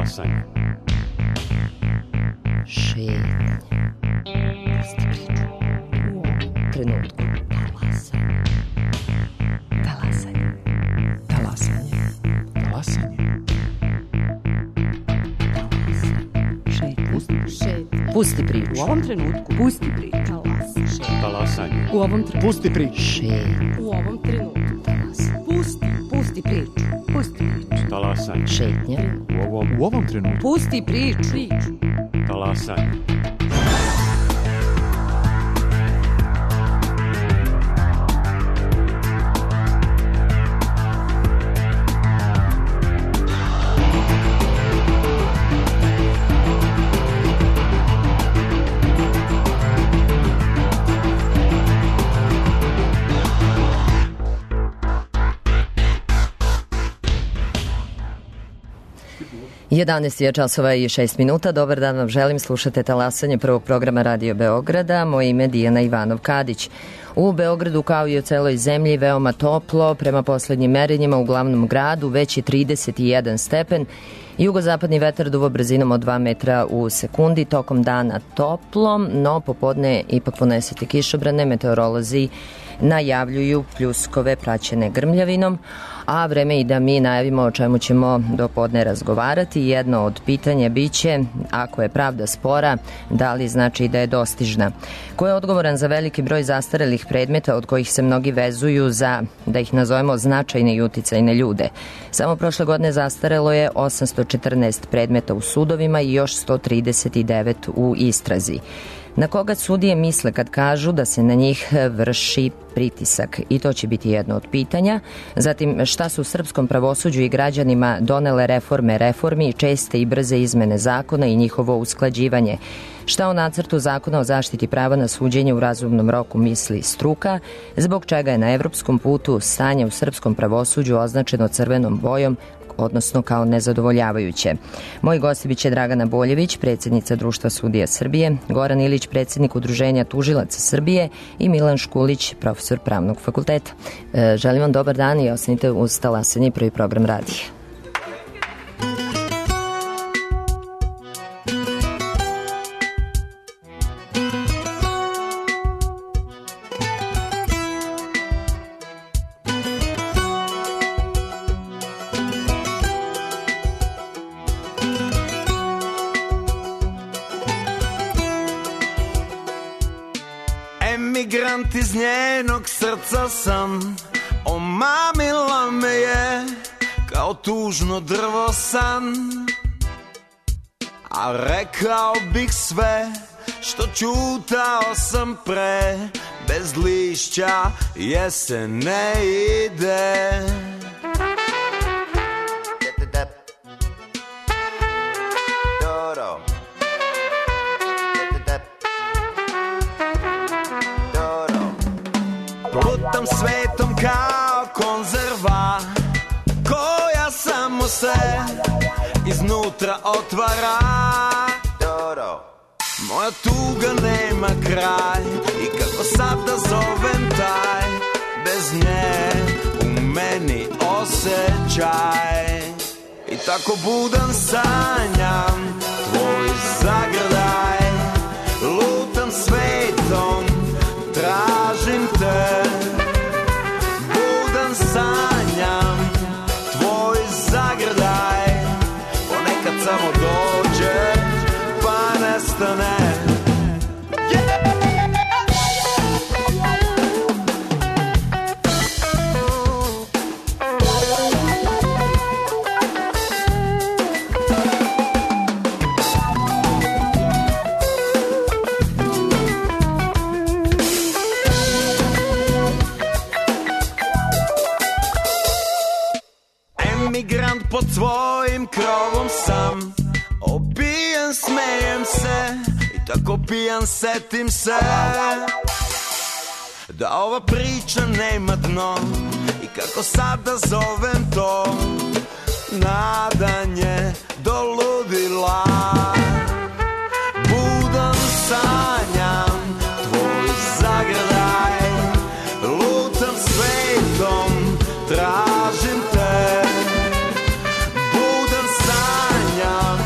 Talasanje. Šetnja. Pusti priču. U trenutku. Talasanje. Talasanje. Talasanje. Pusti priču. U ovom trenutku. Pusti priču. Talasanje. U ovom trenutku. Pusti priču. Šetnja. U ovom trenutku. Pusti priču. Pusti priču. Talasanje. Šetnja. U ovom trenutku. Pusti priču. Talasanje. Jedanaest je časova i 6 minuta. Dobar dan vam želim. Slušate Talasanje prvog programa Radio Beograda. Moje ime je Dijana Ivanov-Kadić. U Beogradu, kao i u celoj zemlji, veoma toplo. Prema poslednjim merenjima u glavnom gradu već je 31 stepen. Jugozapadni vetar duva brzinom od 2 metra u sekundi. Tokom dana toplo, no popodne ipak ponesete kišobrane. Meteorolozi najavljuju pljuskove praćene grmljavinom, a vreme i da mi najavimo o čemu ćemo do podne razgovarati. Jedno od pitanja biće, ako je pravda spora, da li znači da je dostižna? Ko je odgovoran za veliki broj zastarelih predmeta od kojih se mnogi vezuju za, da ih nazovemo, značajne i uticajne ljude? Samo prošle godine zastarelo je 814 predmeta u sudovima i još 139 u istrazi. Na koga sudije misle kad kažu da se na njih vrši pritisak? I to će biti jedno od pitanja. Zatim, šta su srpskom pravosuđu i građanima donele reforme reformi, česte i brze izmene zakona i njihovo usklađivanje? Šta o nacrtu zakona o zaštiti prava na suđenje u razumnom roku misli struka? Zbog čega je na evropskom putu stanje u srpskom pravosuđu označeno crvenom bojom, odnosno kao nezadovoljavajuće? Moji gosti biće Dragana Boljević, predsjednica Društva sudija Srbije, Goran Ilić, predsjednik Udruženja tužilaca Srbije i Milan Škulić, profesor Pravnog fakulteta. Želim vam dobar dan i ostanite uz Talasanje, prvi program radija. Emigrant iz njenog srca sam, omamila me je kao tužno drvo san. A rekao bih sve što čutao sam pre, bez lišća jesen ne ide. Lutam svetom kao konzerva koja samo se iznutra otvara. Moja tuga nema kraj i kako sad da zovem taj, bez nje u meni osjećaj. I tako budan sanjam tvoj zagrljaj, lutam svetom, tražim te, budan sanjam tvoj zagrljaj, ponekad samo dođe pa nestane. Emigrant pod svojim krovom sam, opijan smejem se i tako pijan setim se da ova priča nema dno i kako sada zovem to nadanje do ludila. Budan sanjam tvoj zagrljaj, lutam svetom, tražim te, budan sanjam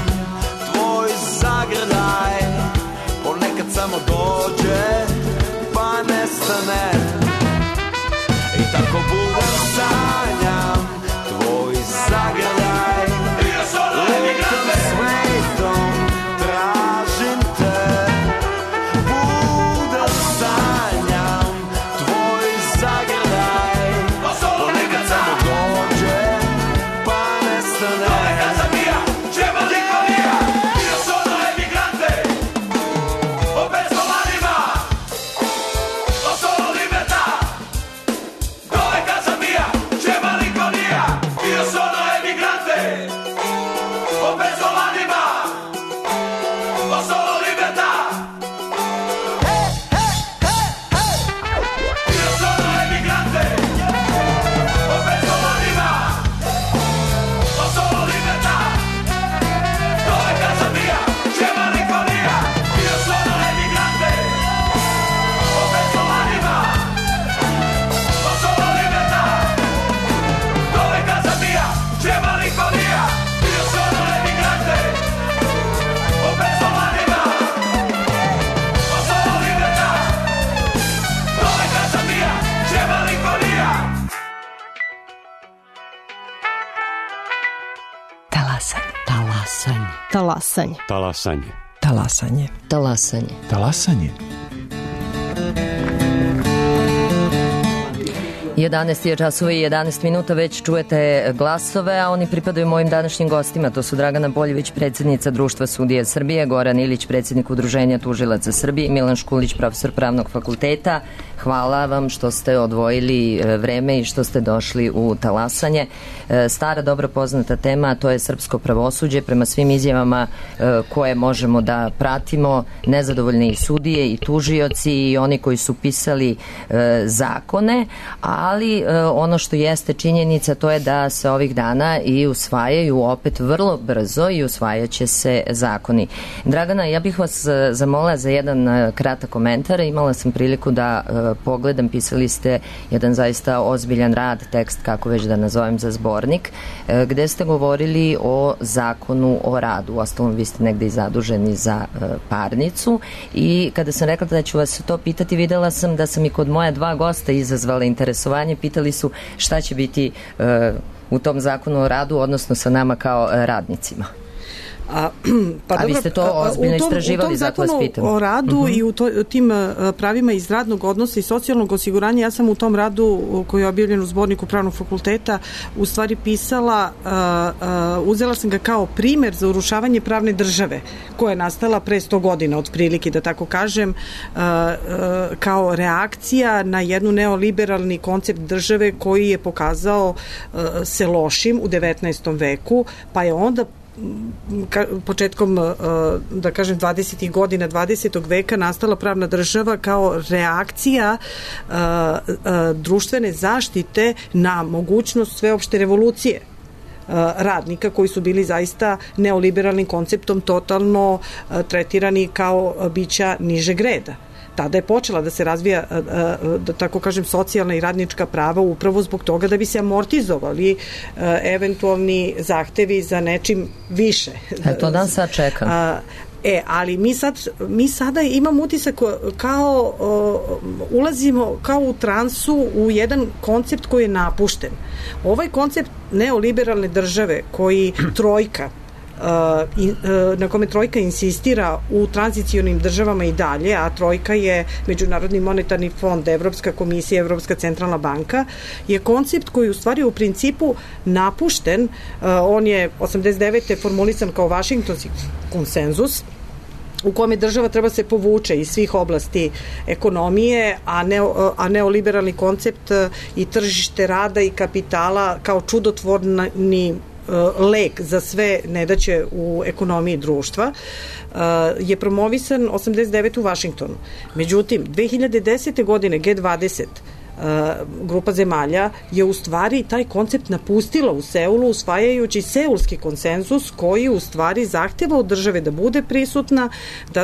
Talasanje. Talasanje. Talasanje. Talasanje. Talasanje. 11 je časova i 11 minuta, već čujete glasove, a oni pripadaju mojim današnjim gostima. To su Dragana Boljević, predsjednica Društva sudija Srbije, Goran Ilić, predsjednik Udruženja tužilaca Srbije i Milan Škulić, profesor Pravnog fakulteta. Hvala vam što ste odvojili vreme i što ste došli u Talasanje. Stara, dobro poznata tema, a to je srpsko pravosuđe. Prema svim izjavama koje možemo da pratimo, nezadovoljni i sudije i tužioci i oni koji su pisali zakone, ali ono što jeste činjenica to je da se ovih dana i usvajaju opet vrlo brzo i usvajaće se zakoni. Dragana, ja bih vas zamolila za jedan kratak komentar. Imala sam priliku da pogledam, pisali ste jedan zaista ozbiljan rad, tekst, kako već da nazovem, za zbornik, gde ste govorili o zakonu o radu. Uostalom, vi ste negde i zaduženi za parnicu i kada sam rekla da ću vas to pitati, videla sam da sam i kod moja dva gosta izazvala interesovanje. Pitali su šta će biti u tom zakonu o radu, odnosno sa nama kao radnicima. A vi ste to ozbiljno istraživali, zato vas pitam. U tom zakonu o radu i u tim pravima iz radnog odnosa i socijalnog osiguranja, ja sam u tom radu koji je objavljen u zborniku Pravnog fakulteta u stvari pisala, uzela sam ga kao primer za urušavanje pravne države koja je nastala pre 100 godina otprilike, da tako kažem, kao reakcija na jednu neoliberalni koncept države koji je pokazao se lošim u 19. veku, pa je onda početkom, da kažem, 20. godina 20. veka nastala pravna država kao reakcija društvene zaštite na mogućnost sveopšte revolucije radnika koji su bili zaista neoliberalnim konceptom totalno tretirani kao bića nižeg reda. Tada je počela da se razvija, da tako kažem, socijalna i radnička prava upravo zbog toga da bi se amortizovali eventualni zahtevi za nečim više. To dan sad čekam. Ali mi sada imamo utisak kao ulazimo kao u transu u jedan koncept koji je napušten. Ovaj koncept neoliberalne države koji trojka na kome trojka insistira u tranzicionim državama i dalje, a trojka je Međunarodni monetarni fond, Evropska komisija, Evropska centralna banka, je koncept koji u stvari u principu napušten. On je 89. formulisan kao Vašingtonski konsenzus u kome država treba se povuče iz svih oblasti ekonomije, a neoliberalni koncept i tržište rada i kapitala kao čudotvorni lek za sve nedaće u ekonomiji društva je promovisan 89. u Vašingtonu. Međutim, 2010. godine G20 grupa zemalja je u stvari taj koncept napustila u Seulu usvajajući seulski konsenzus koji u stvari zahteva od države da bude prisutna,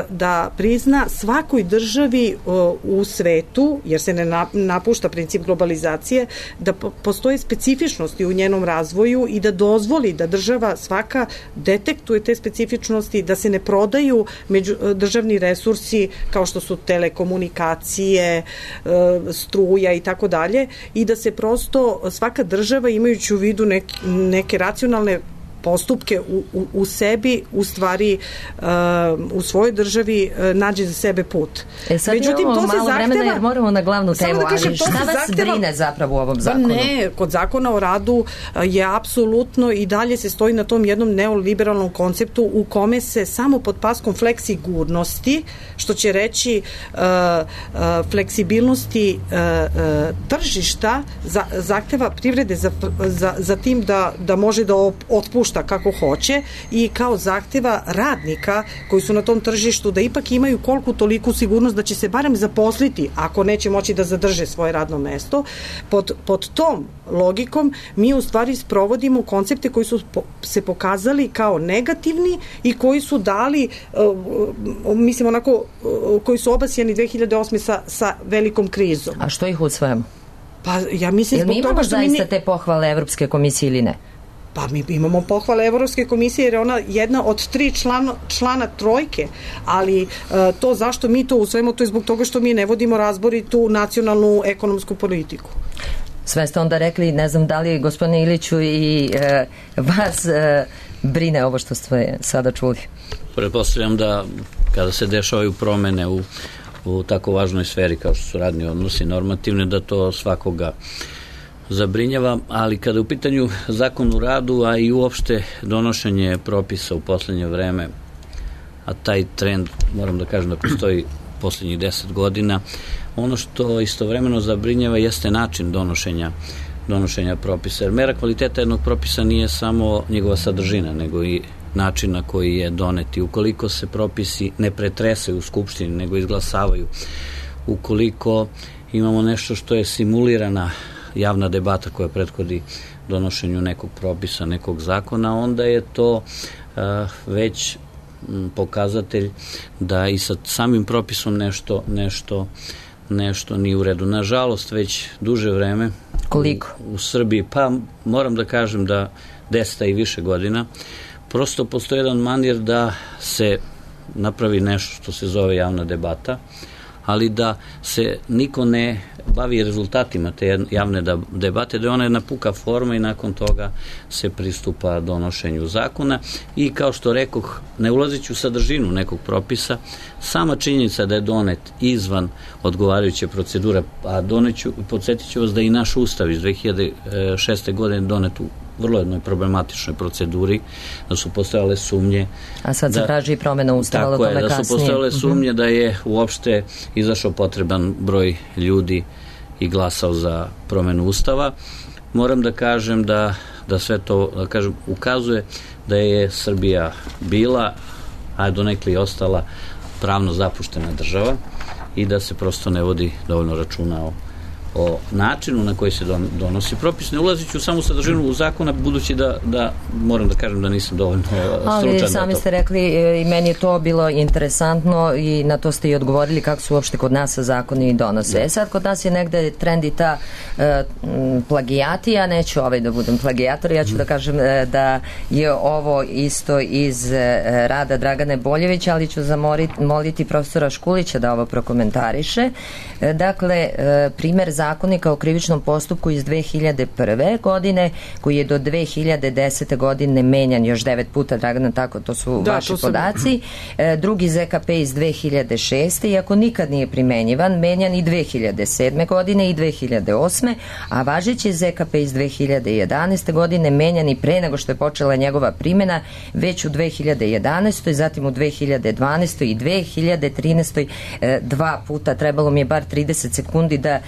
da prizna svakoj državi u svetu, jer se ne napušta princip globalizacije, da postoje specifičnosti u njenom razvoju i da dozvoli da država svaka detektuje te specifičnosti, da se ne prodaju državni resursi kao što su telekomunikacije, struja i tako dalje, i da se prosto svaka država, imajući u vidu neke racionalne postupke u sebi, u stvari u svojoj državi nađe za sebe put. Međutim, to se zahteva, jer moramo na glavnu temu, ali šta vas brine zapravo u ovom zakonu? Ne, kod zakona o radu je apsolutno i dalje se stoji na tom jednom neoliberalnom konceptu u kome se samo pod paskom fleksigurnosti, što će reći fleksibilnosti tržišta, zahteva privrede za tim da može da otpušta kako hoće i kao zahteva radnika koji su na tom tržištu da ipak imaju koliko toliku sigurnost da će se barem zaposliti ako neće moći da zadrže svoje radno mesto. Pod tom logikom mi u stvari sprovodimo koncepte koji su se pokazali kao negativni i koji su dali, mislim onako, koji su obasjani 2008. sa velikom krizom. A što ih usvajamo? Pa ja mislim zbog toga što mi zaista te pohvale Evropske komisije ili ne? Pa mi imamo pohvale Evropske komisije jer je ona jedna od 3 člana trojke, ali to zašto mi to usvojimo, to je zbog toga što mi ne vodimo razboritu nacionalnu ekonomsku politiku. Sve ste onda rekli, ne znam da li gospodine Iliću i vas brine ovo što ste sada čuli? Pretpostavljam da kada se dešavaju promene u tako važnoj sferi kao što su radni odnosi normativne, da to svakoga zabrinjava, ali kada je u pitanju zakon o radu, a i uopšte donošenje propisa u poslednje vreme, a taj trend, moram da kažem da postoji poslednjih 10 godina, ono što istovremeno zabrinjava jeste način donošenja propisa, jer mera kvaliteta jednog propisa nije samo njegova sadržina, nego i način na koji je donet. I ukoliko se propisi ne pretresaju u Skupštini, nego izglasavaju, ukoliko imamo nešto što je simulirana javna debata koja prethodi donošenju nekog propisa, nekog zakona, onda je to već pokazatelj da i sa samim propisom nešto nije u redu. Nažalost, već duže vreme u Srbiji, pa moram da kažem da 10 i više godina, prosto postoji jedan manir da se napravi nešto što se zove javna debata, ali da se niko ne bavi rezultatima te javne debate, da je ona jedna puka forma i nakon toga se pristupa donošenju zakona. I kao što rekoh, ne ulazeći u sadržinu nekog propisa, sama činjenica da je donet izvan odgovarajuće procedure, a podsjetit ću vas da i naš ustav iz 2006. godine donet u vrlo jednoj problematičnoj proceduri, da su postojale sumnje. A sad se traži i promena ustava, ali o tome kasnije. Da su postojale sumnje da je uopšte izašao potreban broj ljudi i glasao za promenu ustava. Moram da kažem da sve to ukazuje da je Srbija bila, a donekle i ostala, pravno zapuštena država i da se prosto ne vodi dovoljno računa o načinu na koji se donosi propis. Ne ulaziću samo sadržinu u zakona, budući da moram da kažem da nisam dovoljno stručan. Ali sami ste rekli i meni je to bilo interesantno i na to ste i odgovorili kako su uopšte kod nas zakoni donose. Sad kod nas je negde trend i ta plagijatija, neću da budem plagijator, ja ću da kažem da je ovo isto iz rada Dragane Boljevića, ali ću zamoliti profesora Škulića da ovo prokomentariše. Dakle, primer Zakonika o krivičnom postupku iz 2001. godine, koji je do 2010. godine menjan još 9 puta, Dragana, tako, to su vaši podaci. Drugi ZKP iz 2006. iako nikad nije primenjivan, menjan i 2007. godine i 2008. a važeći ZKP iz 2011. godine menjan i pre nego što je počela njegova primjena, već u 2011. zatim u 2012. i 2013. Dva puta. Trebalo mi je bar 30 sekundi da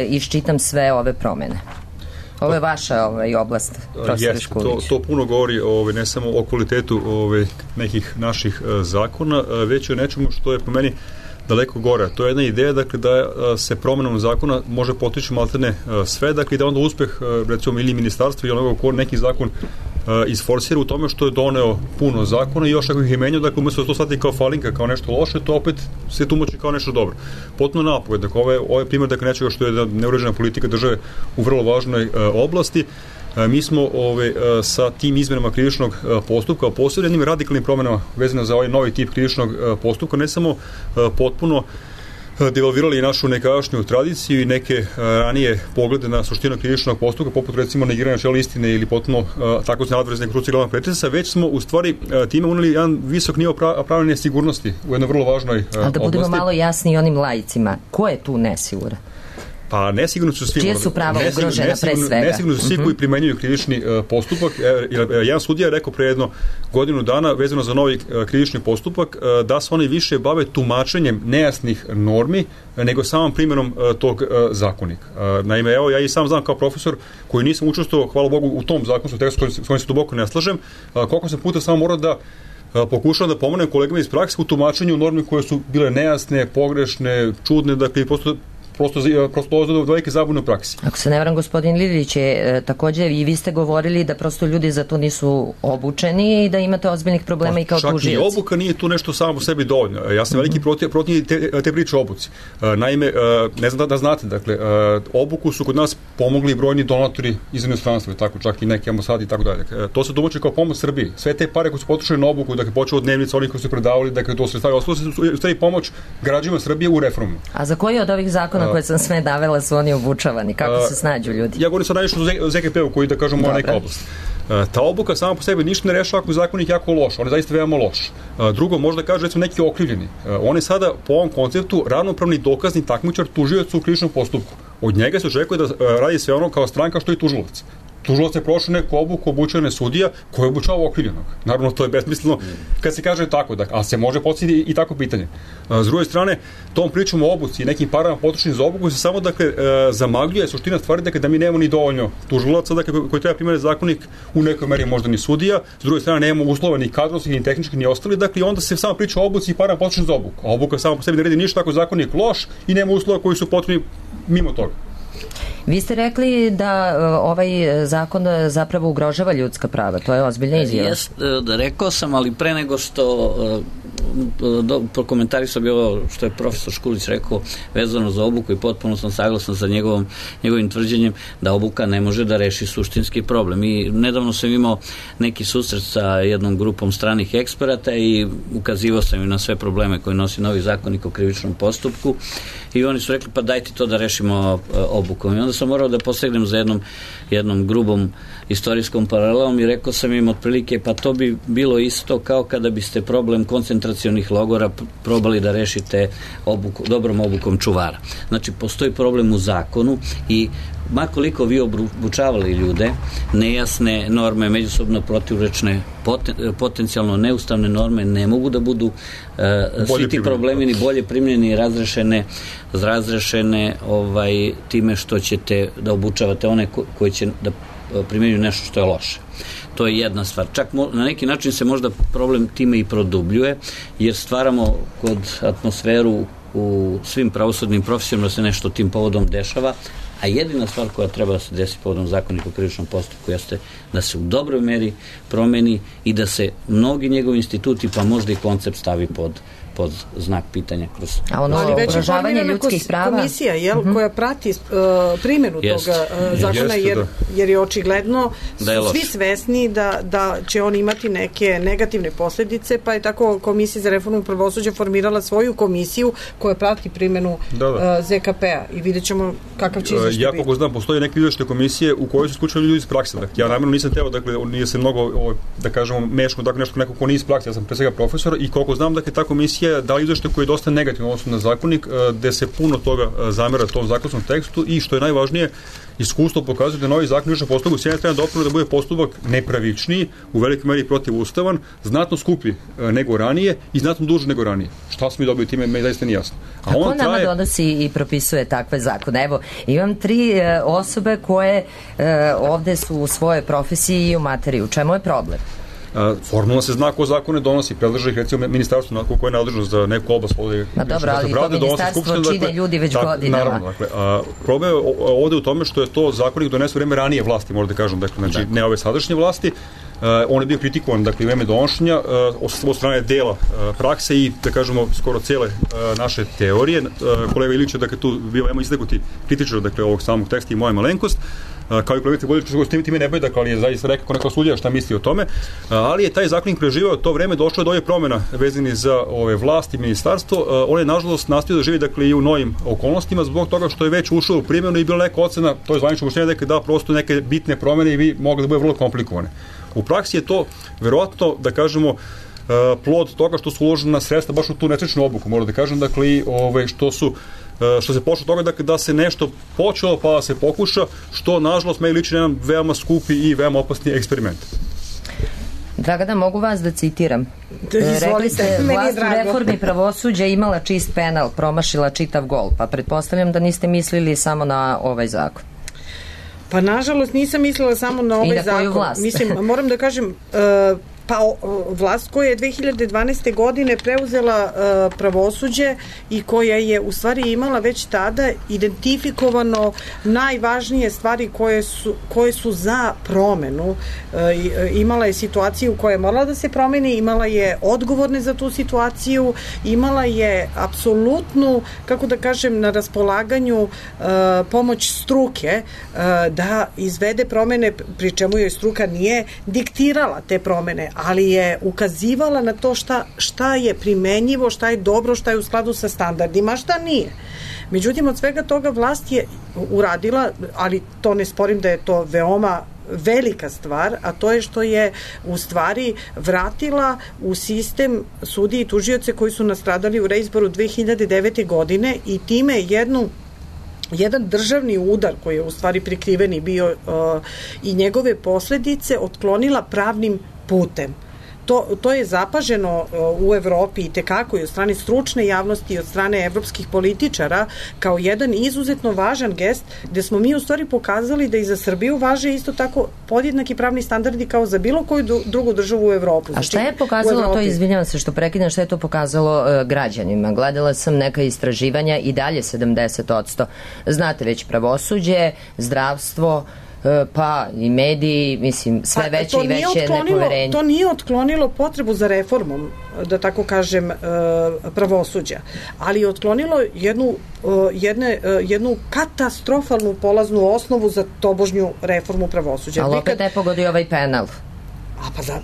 iščitam sve ove promene. Ovo je vaša oblast, profesor Škulić. To puno govori ne samo o kvalitetu nekih naših zakona, već o nečemu što je po meni daleko gore. To je jedna ideja, dakle, da se promenom zakona može potići maltene sve, dakle, da onda uspeh, recimo, ili ministarstva ili onoga ko neki zakon isforsira u tome što je doneo puno zakona i još ako ih je menjao, dakle, umjesto da to shvati kao falinka, kao nešto loše, to opet se tumači kao nešto dobro. Potpuno napogled. Dakle, ovo je primjer, dakle, nečega što je neuređena politika države u vrlo važnoj oblasti. Mi smo sa tim izmenama krivičnog postupka, posebno jednim radikalnim promjenama vezano za ovaj novi tip krivičnog postupka, ne samo potpuno devalvirali i našu nekadašnju tradiciju i neke ranije poglede na suštinu krivičnog postupka, poput recimo negiranja načela istine ili potpuno tako se nadvrezne kruci glavnog pretresa, već smo u stvari time uneli jedan visok nivo pravne nesigurnosti u jednoj vrlo važnoj oblasti. A da budemo malo jasni onim laicima, ko je tu nesiguran? Pa nesigurno su svi. Čije su prava ugrožena pre svega? Nesigurno su svi koji primenjuju krivični postupak. Jedan sudija je rekao pre jedno godinu dana vezano za novi krivični postupak da se oni više bave tumačenjem nejasnih normi nego samom primjenom tog zakonika. Naime, evo, ja i sam znam kao profesor koji nisam učestvovao, hvala Bogu, u tom zakonskom tekstu s kojim se duboko ne slažem, koliko sam puta samo morao da pokušavam da pomonem kolegama iz prakse u tumačenju normi koje su bile nejasne, pogrešne, čudne, dakle, prosto do velike zabune u praksi. Ako se ne varam, gospodin Lilić je također i vi ste govorili da prosto ljudi za to nisu obučeni i da imate ozbiljnih problema i kao tužioci. Čak i obuka nije tu nešto samo po sebi dovoljno. Ja sam veliki protiv te priče o obuci. Naime, ne znam da znate, dakle, obuku su kod nas pomogli brojni donatori iz inostranstva, tako čak i neki ambasadi i tako dalje. To se domaći kao pomoć Srbiji. Sve te pare koje su potrošene na obuku, dakle, počeo od dnevnica, oni koji su predavali, dakle, to sredstava, ostalo se u stvari pomoć građanima Srbije u reformu. A za koji od ovih zakona koje sam sve navela su oni obučavani. Kako se snađu ljudi? Ja govorim sad najviše o ZKP-u koji, da kažemo, moja neka oblast. Ta obuka sama po sebi ništa ne rešava ako je zakonik jako loš. On je zaista veoma loš. Drugo, možda kaže, recimo, neki okrivljeni. On je sada po ovom konceptu ravnopravni dokazni takmičar tužioca u krivičnom postupku. Od njega se očekuje da radi sve ono kao stranka što i tužilac. Tužilac je prošao neku obuku obučene sudija koji je obučavao okrivljenog. Naravno, to je besmisleno kad se kaže tako, a se može postaviti i tako pitanje. S druge strane, tom pričom o obuci i nekim parama potrošenim za obuku se samo, zamagljuje suština stvari, da mi nemamo ni dovoljno tužilaca, koji treba primeniti zakonik, u nekoj meri možda ni sudija, s druge strane nemamo uslova ni kadrovskih, ni tehničkih, ni ostali, i onda se samo priča o obuci i parama potrošenim za obuku. A obuka sama po sebi ne radi ništa ako zakonik loš i nema uslova koji su potrebni mimo toga. Vi ste rekli da ovaj zakon zapravo ugrožava ljudska prava. To je ozbiljna izjava. Rekao sam, ali pre nego što prokomentarisao bi ovo što je profesor Škulić rekao vezano za obuku i potpuno sam saglasan sa njegovim tvrđenjem da obuka ne može da reši suštinski problem. I nedavno sam imao neki susret sa jednom grupom stranih eksperata i ukazivao sam im na sve probleme koje nosi novi zakonik o krivičnom postupku i oni su rekli pa dajte to da rešimo obukom. I onda sam morao da posegnem za jednom grubom istorijskom paralelom i rekao sam im otprilike pa to bi bilo isto kao kada biste problem koncentracionih logora probali da rešite dobrom obukom čuvara. Znači, postoji problem u zakonu i makoliko vi obučavali ljude, nejasne norme, međusobno protivrečne, potencijalno neustavne norme ne mogu da budu svi ti problemi ni bolje primljeni i razrešene time što ćete da obučavate one koji će da primjenjuju nešto što je loše. To je jedna stvar. Čak na neki način se možda problem time i produbljuje, jer stvaramo kod atmosferu u svim pravosudnim profesijama da se nešto tim povodom dešava, a jedina stvar koja treba da se desi povodom zakonika o krivičnom postupku jeste da se u dobroj meri promeni i da se mnogi njegovi instituti, pa možda i koncept stavi pod znak pitanja. A ono ugrožavanje ljudskih prava? Komisija, koja prati primjenu toga zakona, jer je očigledno svi svesni da će on imati neke negativne posljedice, pa je tako Komisija za reformu pravosuđa formirala svoju komisiju koja prati primjenu ZKP-a i vidjet ćemo kakav će izveštaj biti. Ja kako znam, postoje neke izveštaje komisije u kojoj su isključili ljudi iz prakse. Ja namjerno nisam teo, nije se mnogo, da kažemo, meško, neko ko nije iz prakse, ja sam pre svega profesor i koliko znam, ta komisija dali izveštaj koji je dosta negativno odnosno na zakonik, gde se puno toga zamera tom zakonskom tekstu i što je najvažnije, iskustvo pokazuje da novi zakon o krivičnom postupku s jedne strane dopravo da bude postupak nepravičniji, u velikoj meri protivustavan, znatno skuplji nego ranije i znatno duži nego ranije. Šta smo mi dobili time, me zaista nije jasno. A ko nama donosi i propisuje takve zakone? Evo, imam 3 osobe koje ovde su u svojoj profesiji i u materiji. U čemu je problem? Formalno se zna ko zakone donosi, predlaže ih recimo ministarstvo koje je nadležno za neku oblast. Ma dobro, ali to ministarstvo čine ljudi već godinama. Naravno, problem je ovde u tome što je to zakonik donese u vreme ranije vlasti, možda kažem, znači ne ove sadašnje vlasti. On je bio kritikovan, u vreme donošenja od strane dela prakse i, da kažemo, skoro cele naše teorije. Kolega Ilić je, tu bio istaknuti kritičar, ovog samog teksta i moja malenkost, kao i kolegica Boljević, s time ne bude, ali je zaista rekao ko neka sudija šta misli o tome, ali je taj zakonik preživao to vreme, došlo je do ove promjena vezani za ove vlasti i ministarstvo. On je, nažalost, nastavio da živi i u novim okolnostima zbog toga što je već ušao u primjenu i bila neka ocena, to je zvanično mišljenje, da prosto neke bitne promjene i vi mogli da bude vrlo komplikovane. U praksi je to verovatno, da kažemo, plod toga što su uložena sredstva baš u tu nesrećnu obuku, moram da kažem, što se pošlo toga da se nešto počelo pa da se pokuša, što nažalost meni liči jedan veoma skupi i veoma opasni eksperiment. Dragana, mogu vas da citiram? Rekli ste, vlast u reformi pravosuđa imala čist penal, promašila čitav gol, pa pretpostavljam da niste mislili samo na ovaj zakon. Pa nažalost nisam mislila samo na ovaj zakon. I na koju vlast? Mislim, moram da kažem, vlast koja je 2012. godine preuzela pravosuđe i koja je u stvari imala već tada identifikovano najvažnije stvari koje su za promenu. Imala je situaciju koja je morala da se promeni, imala je odgovorne za tu situaciju, imala je apsolutnu, kako da kažem, na raspolaganju pomoć struke da izvede promene, pri čemu joj struka nije diktirala te promene, ali je ukazivala na to šta je primenjivo, šta je dobro, šta je u skladu sa standardima, a šta nije. Međutim, od svega toga vlast je uradila, ali to ne sporim da je to veoma velika stvar, a to je što je u stvari vratila u sistem sudije i tužioce koji su nastradali u reizboru 2009. godine i time jedan državni udar koji je u stvari prikriveni bio i njegove posledice otklonila pravnim putem. To je zapaženo u Evropi i tekako i od strane stručne javnosti i od strane evropskih političara kao jedan izuzetno važan gest gde smo mi u stvari pokazali da i za Srbiju važe isto tako podjednaki pravni standardi kao za bilo koju drugu državu u Evropu. A šta je pokazalo to, izvinjavam se što prekidam, šta je to pokazalo građanima? Gledala sam neka istraživanja i dalje 70%. Znate već pravosuđe, zdravstvo, pa i mediji, mislim, sve veće i veće nepoverenje. To nije otklonilo potrebu za reformom, da tako kažem, pravosuđa, ali je otklonilo jednu katastrofalnu polaznu osnovu za tobožnju reformu pravosuđa. Ali opet ne pogodi ovaj penal.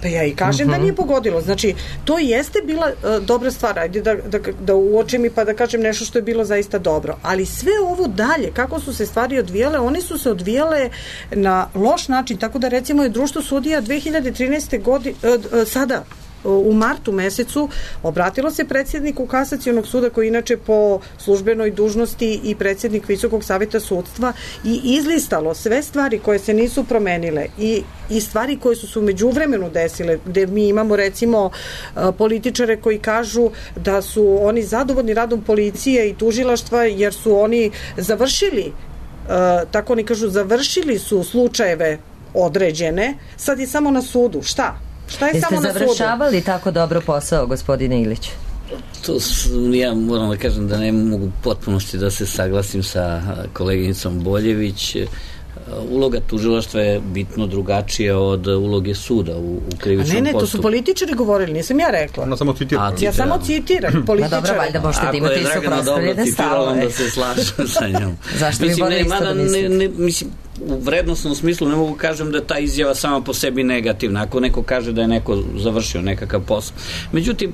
Pa ja i kažem da nije pogodilo. Znači, to jeste bila dobra stvar. Ajde da uočim i pa da kažem nešto što je bilo zaista dobro. Ali sve ovo dalje, kako su se stvari odvijale, one su se odvijale na loš način. Tako da recimo je Društvo sudija 2013. godine, sada u martu mesecu obratilo se predsjedniku Kasacionog suda koji inače po službenoj dužnosti i predsjednik Visokog saveta sudstva i izlistalo sve stvari koje se nisu promenile i stvari koje su se u međuvremenu desile, gde mi imamo recimo političare koji kažu da su oni zadovoljni radom policije i tužilaštva jer su oni završili, tako oni kažu, završili su slučajeve određene, sad je samo na sudu. Šta? Šta je samo na sudu? Jeste završavali tako dobro posao, gospodine Ilić? Ja moram da kažem da ne mogu potpunosti da se saglasim sa koleginicom Boljević. Uloga tužilaštva je bitno drugačija od uloge suda u krivičnom postupku. To su političari govorili, nisam ja rekla. Ona samo citira. Ja samo citiram političari. Dobro, valjda možete da imate i suprotstavljene stavove. Onda se slažem sa njom. Zašto bi bolje isto da mislite? Mislim, u vrednostnom smislu ne mogu kažem da je ta izjava sama po sebi negativna. Ako neko kaže da je neko završio nekakav posao. Međutim,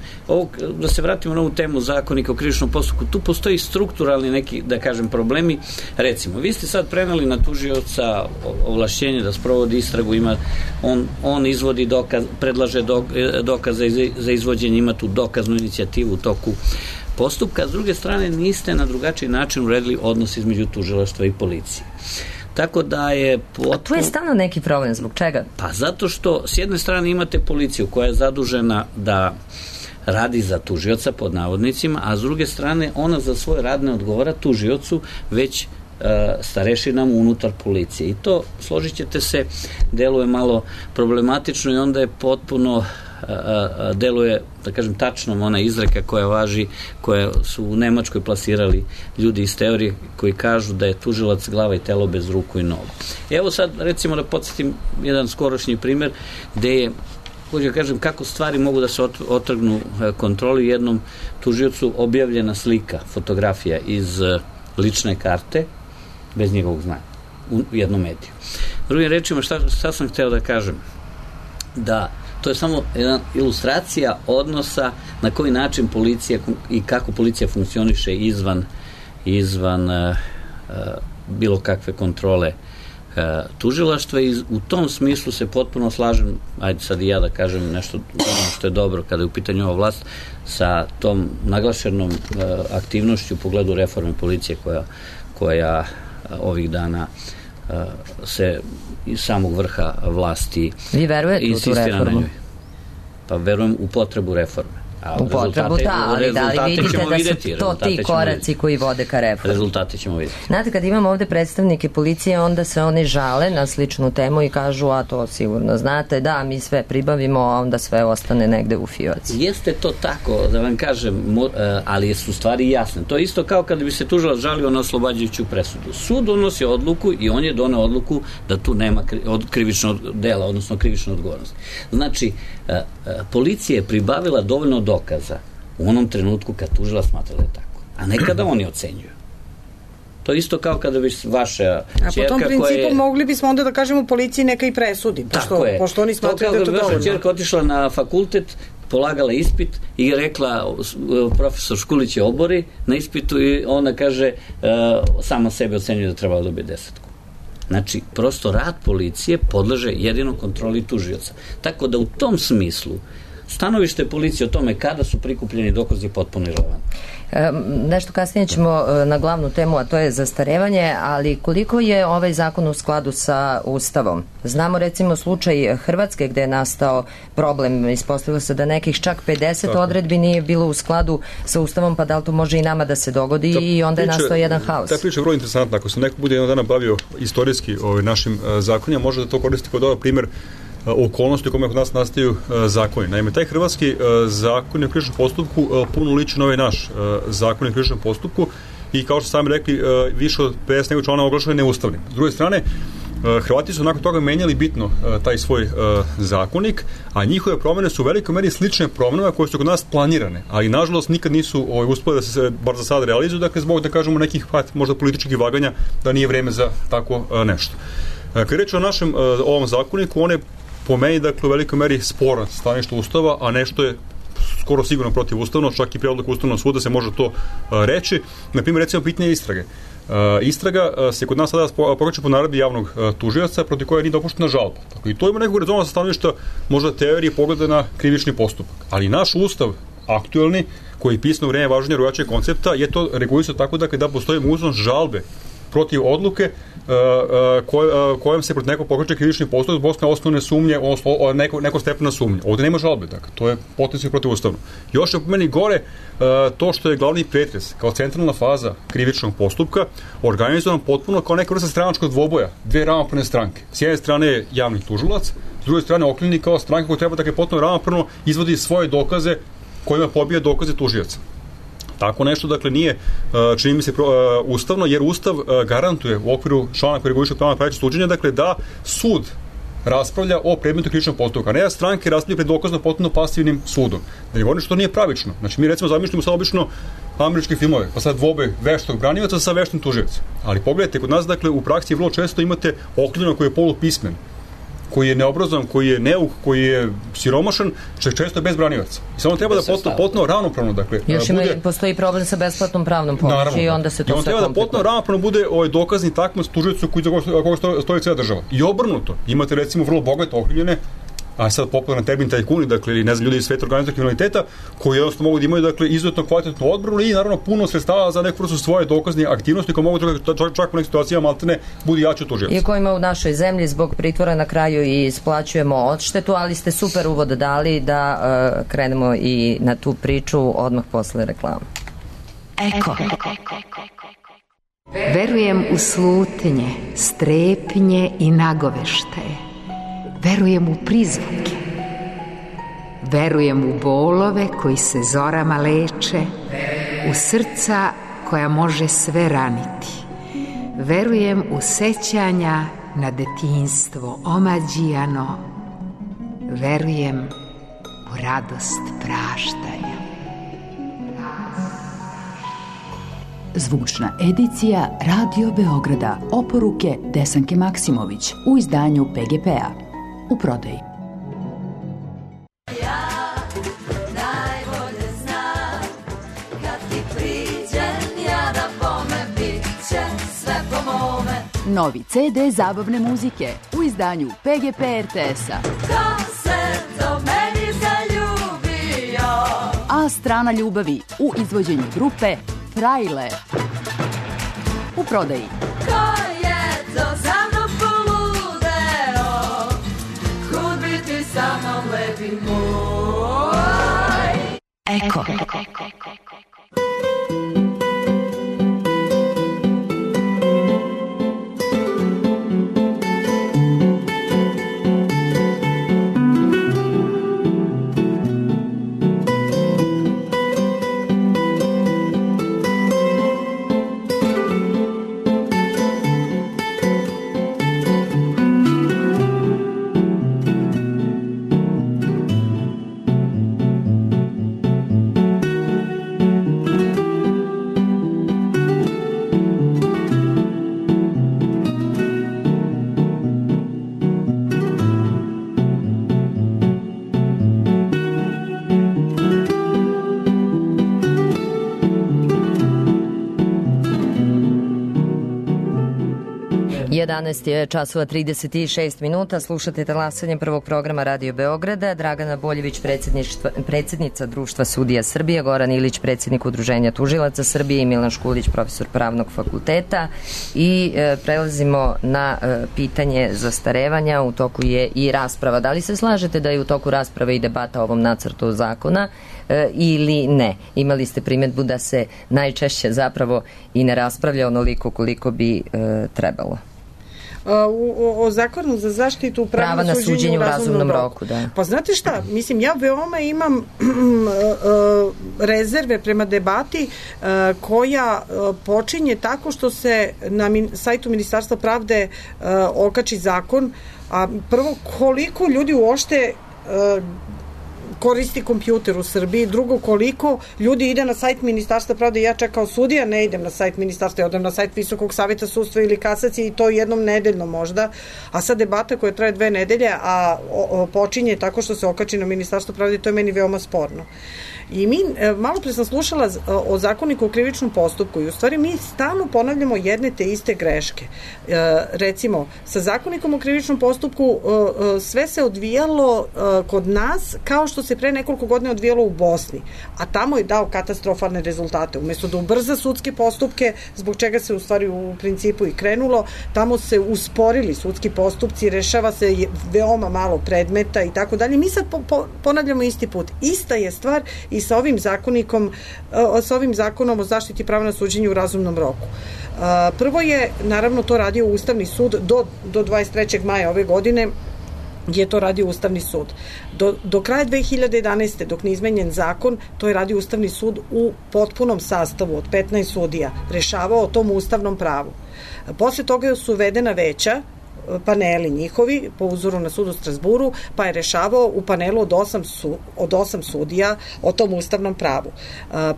da se vratimo na ovu temu Zakonika o krivičnom postupku, tu postoji strukturalni neki, da kažem, problemi. Recimo, vi ste sad preneli na tužioca ovlašćenje da sprovodi istragu, on izvodi dokaz, predlaže dokaze za izvođenje, ima tu dokaznu inicijativu u toku postupka. S druge strane, niste na drugačiji način uredili odnos između tužilaštva i policije. Tako da je A tu je stalno neki problem, zbog čega? Pa zato što s jedne strane imate policiju koja je zadužena da radi za tužioca pod navodnicima, a s druge strane ona za svoj rad ne odgovara tužiocu, već starešinama unutar policije. I to, složit ćete se, deluje malo problematično i onda je potpuno deluje, da kažem, tačno ona izreka koja važi, koje su u Nemačkoj plasirali ljudi iz teorije koji kažu da je tužilac glava i telo bez ruku i nogu. Evo sad, recimo, da podsjetim jedan skorošnji primer gde je, hoću da kažem, kako stvari mogu da se otrgnu kontroli. Jednom tužiocu objavljena slika, fotografija iz lične karte bez njegovog znanja u jednom mediju. Drugim rečima, šta sam hteo da kažem? Da to je samo jedna ilustracija odnosa na koji način policija i kako policija funkcioniše izvan bilo kakve kontrole tužilaštva i u tom smislu se potpuno slažem, ajde sad i ja da kažem nešto što je dobro kada je u pitanju ova vlast, sa tom naglašenom aktivnošću u pogledu reforme policije koja ovih dana se iz samog vrha vlasti Vi verujete u tu reformu? Pa verujem u potrebu reforme. U potrebu, ali da li vidite da su to ti koraci koji vode ka reformi? Rezultate ćemo vidjeti. Znate, kad imamo ovde predstavnike policije, onda se oni žale na sličnu temu i kažu, a to sigurno znate, da, mi sve pribavimo, a onda sve ostane negde u fioci. Jeste to tako, da vam kažem, ali su stvari jasne. To je isto kao kada bi se tužilac žalio na oslobađajuću presudu. Sud donosi odluku i on je doneo odluku da tu nema krivičnog dela, odnosno krivične odgovornosti. Znači, policija je pribavila dovoljno dokaza u onom trenutku kad tužilac smatra da je tako, a ne kada oni ocenjuju. To je isto kao kada bi vaša ćerka A po tom principu mogli bismo onda da kažemo policiji neka i presudi, pošto oni smatraju da je to dovoljno. Vaša ćerka otišla na fakultet, polagala ispit i rekla profesor Škulić je obori na ispitu i ona kaže sama sebe ocenjuje da treba da dobije 10. Znači, prosto rad policije podleže jedino kontroli tužioca. Tako da u tom smislu stanovište policije o tome kada su prikupljeni dokazi potpuno irelevantno. Nešto kasnije ćemo na glavnu temu, a to je zastarevanje, ali koliko je ovaj zakon u skladu sa Ustavom? Znamo recimo slučaj Hrvatske gde je nastao problem, ispostavilo se da nekih čak 50 odredbi nije bilo u skladu sa Ustavom, pa da li to može i nama da se dogodi i onda je nastao jedan haos? Ta priča je vrlo interesantna. Ako se neko bude jednog dana bavio istorijski našim zakonima, može da to koristi kao dobar primer okolnosti u kome kod nas nastaju zakoni. Naime, taj hrvatski zakon o krivičnom postupku puno liči na ovaj naš zakon o krivičnom postupku i kao što sami rekli, više od 50 nego člana oglašava neustavnim. S druge strane, Hrvati su nakon toga menjali bitno taj svoj zakonik, a njihove promene su u velikoj meri slične promenama koje su kod nas planirane, ali nažalost nikad nisu uspeli da se bar za sad realizuju, dakle zbog da kažemo nekih možda političkih vaganja da nije vreme za tako nešto. Kad je reč o našem ovom zakoniku, on je po meni, dakle, u velikoj meri sporan stanište Ustava, a nešto je skoro sigurno protivustavno, čak i pre odluke Ustavnog suda se može to reći. Na primjer, recimo, pitanje istrage. Istraga se kod nas sada pokreće po naredbi javnog tužioca protiv koje nije dopuštena žalba. Dakle, i to ima nekog rezona sa stanovišta možda teorije pogleda na krivični postupak. Ali naš Ustav aktuelni, koji je pisan u vreme važenja drugačijeg koncepta, je to regulisao tako da postoji mogućnost žalbe protiv odluke kojom se protiv nekog pokreće krivični postupak zbog osnovne sumnje, neko stepena sumnje. Ovde nema žalbe, dakle, to je potencijalno protivustavno. Još je po meni gore to što je glavni pretres kao centralna faza krivičnog postupka organizovan potpuno kao neka vrsta stranačkog dvoboja, dve ravnopravne stranke. S jedne strane je javni tužilac, s druge strane okrivljeni kao stranka koja treba dakle potpuno ravnopravno izvodi svoje dokaze kojima pobija dokaze tužioca. Tako nešto, dakle, nije, čini mi se, ustavno, jer Ustav garantuje u okviru člana koji reguliše pravo na pravično suđenje, dakle, da sud raspravlja o predmetu krivičnog postupka, a ne da stranke raspravljaju pred dokazno potpuno pasivnim sudom. Da ne govorim što nije pravično. Znači, mi recimo zamišljamo sad obično američke filmove, pa sad dvobe veštog branioca sa veštim tužiocem. Ali pogledajte, kod nas, dakle, u praksi vrlo često imate okrivljenog koji je polupismen, koji je neobrazovan, koji je neuk, koji je siromašan, često je bez branioca. I samo treba da potpuno ravnopravno, dakle, još postoji problem sa besplatnom pravnom pomoći i onda se to sve komplikuje. Treba da potpuno ravnopravno bude dokazni takmac tužiocu koga stoji cijela država. I obrnuto, imate recimo vrlo bogate okrivljene, a sad popularan termin tajkuni, dakle, ili ne znam, ljudi iz sveta organizacije kriminaliteta, koji jednostavno mogu da imaju, dakle, izuzetno kvalitetnu odbranu i naravno puno sredstava za neku vrstu svoje dokazne aktivnosti koje mogu čak u nekim situacijama maltene budi jači od tužioca. I kojima u našoj zemlji zbog pritvora na kraju i isplaćujemo odštetu, ali ste super uvod dali da krenemo i na tu priču odmah posle reklama. Eko. Verujem u slutnje, strepnje i nagoveštaje. Verujem u prizvuke. Verujem u bolove koji se zorama leče, u srca koja može sve raniti. Verujem u sećanja na detinjstvo omađijano. Verujem u radost praštanja. Zvučna edicija Radio Beograda. Oporuke Desanke Maksimović u izdanju PGP-a. U prodaji. Ja najbolje znam kad ti priđem ja da bome bit će sve po mome. Novi CD zabavne muzike u izdanju PGP RTS-a. Ko se do meni zaljubio? A strana ljubavi u izvođenju grupe Frajle. U prodaji. Ko je to za mnom poludeo? Kud bi ti sa mnom lepi moj? Eko. 12 je časova 36 minuta, slušate talasanje prvog programa Radio Beograda, Dragana Boljević, predsjednica Društva sudija Srbije, Goran Ilić, predsjednik Udruženja tužilaca Srbije i Milan Škulić, profesor Pravnog fakulteta i prelazimo na pitanje zastarevanja. U toku je i rasprava. Da li se slažete da je u toku rasprave i debata o ovom nacrtu zakona ili ne? Imali ste primjedbu da se najčešće zapravo i ne raspravlja onoliko koliko bi trebalo. O zakonu za zaštitu prava na suđenje u razumnom roku. Da. Pa znate šta, mislim, ja veoma imam rezerve prema debati koja počinje tako što se na sajtu Ministarstva pravde okači zakon, a prvo koliko ljudi uopšte koristi kompjuter u Srbiji, drugo koliko ljudi ide na sajt Ministarstva pravde. Ja čak kao sudija ne idem na sajt Ministarstva, ja odem na sajt Visokog saveta sudstva ili kasacije i to jednom nedeljno možda, a sad debata koja traje 2 nedelje, a počinje tako što se okači na Ministarstvo pravde, to je meni veoma sporno. I mi, malo pre sam slušala o zakoniku o krivičnom postupku i u stvari mi stalno ponavljamo jedne te iste greške. Recimo, sa zakonikom o krivičnom postupku sve se odvijalo kod nas kao što se pre nekoliko godina odvijalo u Bosni, a tamo je dao katastrofalne rezultate. Umesto da ubrza sudske postupke, zbog čega se u stvari u principu i krenulo, tamo se usporili sudski postupci, rešava se veoma malo predmeta i tako dalje. Mi sad ponavljamo isti put. Ista je stvar i sa ovim zakonom o zaštiti prava na suđenje u razumnom roku. Prvo je, naravno, to radio Ustavni sud do 23. maja ove godine je to radio Ustavni sud. Do kraja 2011. dok ne izmenjen zakon, to je radio Ustavni sud u potpunom sastavu od 15 sudija, rešavao o tom ustavnom pravu. Posle toga su uvedena veća, paneli njihovi, po uzoru na sud u Strasburu, pa je rešavao u panelu od 8 sudija o tom ustavnom pravu.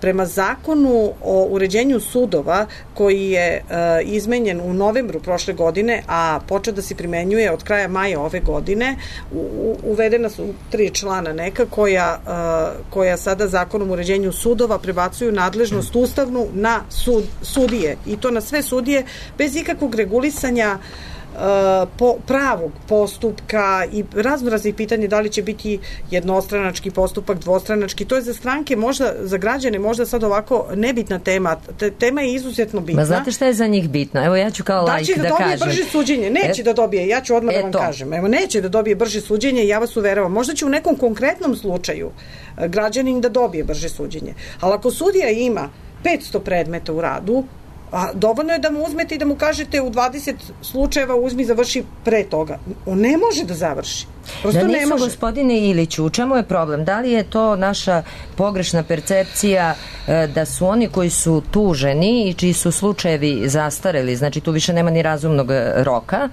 Prema zakonu o uređenju sudova, koji je izmenjen u novembru prošle godine, a počeo da se primenjuje od kraja maja ove godine, uvedena su 3 člana neka koja sada zakonom o uređenju sudova prebacuju nadležnost ustavnu na sudije, i to na sve sudije bez ikakvog regulisanja pravog postupka i raznih pitanja, da li će biti jednostranački postupak, dvostranački. To je za stranke, možda za građane, možda sad ovako nebitna tema. Tema je izuzetno bitna. Ma znate šta je za njih bitno? Evo ja ću kao laik da kažem. Da će da dobije brže suđenje. Neće da dobije, ja ću odmah da vam kažem. Evo, neće da dobije brže suđenje, ja vas uveravam. Možda će u nekom konkretnom slučaju građanin da dobije brže suđenje. Ali ako sudija ima 500 predmeta u radu, a dovoljno je da mu uzmete i da mu kažete u 20 slučajeva uzmi, završi pre toga. On ne može da završi. Prosto da nisu, ne može. Gospodine Iliću, u čemu je problem? Da li je to naša pogrešna percepcija da su oni koji su tuženi i čiji su slučajevi zastareli, znači tu više nema ni razumnog roka,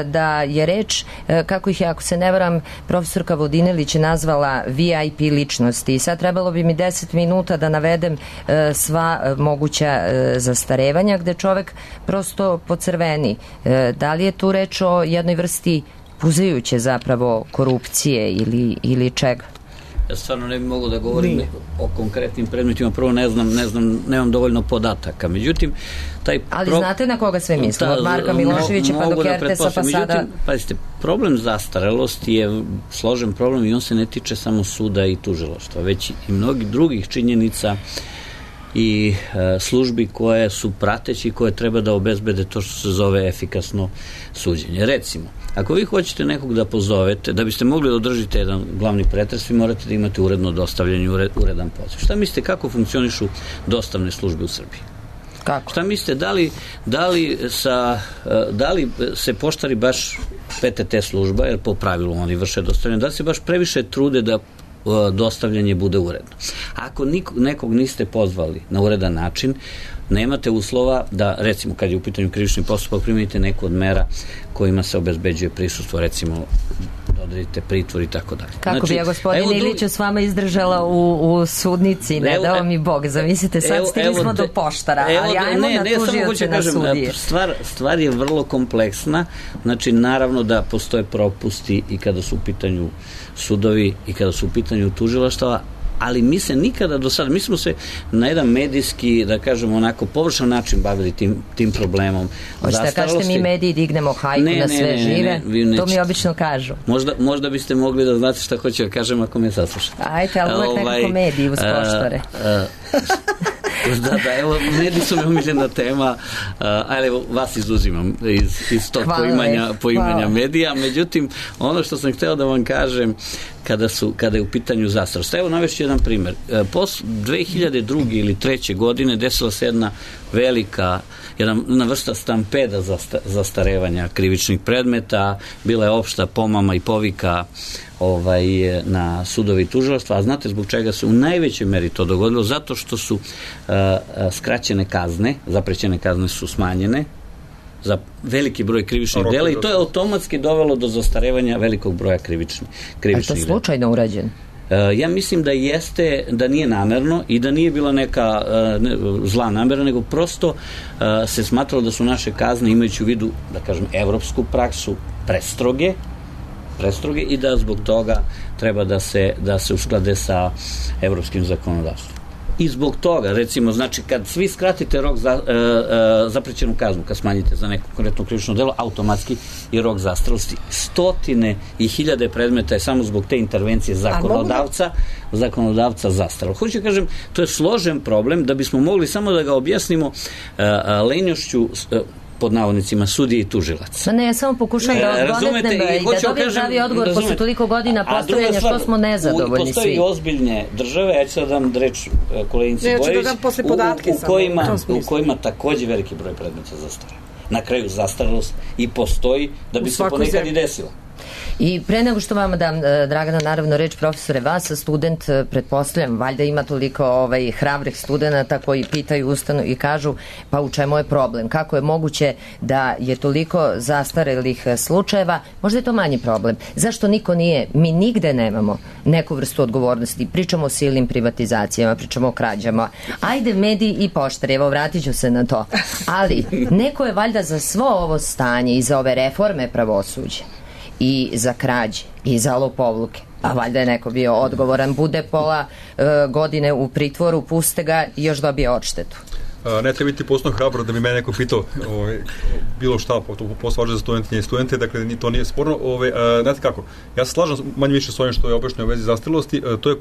da je reč, kako ih je, ako se ne varam, profesorka Vodinelić je nazvala VIP ličnosti, i sad trebalo bi mi 10 minuta da navedem sva moguća zastarevanja gde čovek prosto pocrveni. Da li je tu reč o jednoj vrsti puzajuće zapravo korupcije ili čega? Ja stvarno ne bi mogao da govorim o konkretnim predmetima, prvo nemam dovoljno podataka. Međutim, ali znate na koga sve mislim? Od Marka Miloševića pa do Kertesa pa sada... Međutim, pazite, problem zastarelosti je složen problem i on se ne tiče samo suda i tužilaštva, već i mnogih drugih činjenica i službi koje su prateći, koje treba da obezbede to što se zove efikasno suđenje. Recimo, ako vi hoćete nekog da pozovete, da biste mogli da održite jedan glavni pretres, vi morate da imate uredno dostavljanje, uredan poziv. Šta mislite, kako funkcionišu dostavne službe u Srbiji? Kako? Šta mislite, da li se poštari baš PTT služba, jer po pravilu oni vrše dostavljanje, da li se baš previše trude da dostavljanje bude uredno? Ako nekog niste pozvali na uredan način, nemate uslova da, recimo, kad je u pitanju krivični postupak, primenite neku od mera kojima se obezbeđuje prisustvo, recimo, da odredite pritvor i tako dalje. Kako bi ja, gospodine Iliću, s vama izdržala u sudnici, ne dao mi Bog, zamislite, sad stigli smo do poštara, ali ajmo na tužioce, na sudije. Stvar je vrlo kompleksna, znači, naravno da postoje propusti i kada su u pitanju sudovi i kada su u pitanju tužilaštava, ali mi se nikada do sada, mi smo se na jedan medijski, da kažemo onako, površan način bavili tim problemom. Hoćete da kažete mi mediji dignemo hajku na sve žive? To mi obično kažu. Možda biste mogli da znate šta hoću da kažem ako me saslušate. Ajte, ali uvek nekako mediji uz poštore. Da, evo, mediji su mi omiljena tema, ali evo, vas izuzimam iz tog poimanja medija, međutim, ono što sam hteo da vam kažem, kada je u pitanju zastarost. Evo, navešću jedan primer. 2002. ili 2003. godine desila se jedna vrsta stampeda zastarevanja krivičnih predmeta, bila je opšta pomama i povika na sudovi i tužilaštva, a znate zbog čega se u najvećoj meri to dogodilo? Zato što su skraćene kazne, zaprećene kazne su smanjene za veliki broj krivičnih dela i to je automatski dovelo do zastarevanja velikog broja krivičnih dela. Je to slučajno urađeno? Ja mislim da jeste, da nije namerno i da nije bila neka zla namera, nego prosto se smatralo da su naše kazne, imajući u vidu, da kažem, evropsku praksu, prestroge i da zbog toga treba da se usklade sa evropskim zakonodavstvom. I zbog toga, recimo, znači, kad svi skratite rok za zaprećenu kaznu, kad smanjite za neko konkretno krivično delo, automatski je rok zastarelosti. Stotine i hiljade predmeta je samo zbog te intervencije zakonodavca zastarelo. Hoću kažem, to je složen problem, da bismo mogli samo da ga objasnimo lenjošću pod navodnicima sudije i tužilaca. Ne, ja samo pokušam da odgonetnem i da dobijem pravi odgovor posle toliko godina postavljanja što smo nezadovoljni svi. Postoji ozbiljne države, ja ću sad dam reč koleginici Bojević, u kojima takođe veliki broj predmeta zastareva. Na kraju zastarelost i postoji da bi se ponekad i desilo. I pre nego što vama dam, Dragana, naravno reč, profesore, vas, student, pretpostavljam, valjda ima toliko hrabrih studenta koji pitaju ustanu i kažu, pa u čemu je problem? Kako je moguće da je toliko zastarelih slučajeva? Možda je to manji problem. Zašto niko nije, mi nigde nemamo neku vrstu odgovornosti, pričamo o silnim privatizacijama, pričamo o krađama, ajde mediji i poštari, evo vratit ću se na to, ali neko je valjda za svo ovo stanje i za ove reforme pravosuđa i za krađe i za lopovluke, a valjda je neko bio odgovoran, bude pola godine u pritvoru, puste ga i još dobije odštetu. Ne treba biti posebno hrabro da bi me neko pitao bilo šta, posle važno za studente, dakle to nije sporno. Znate kako, ja se slažem manje više s ovim što je objašnjeno u vezi zastarelosti, to je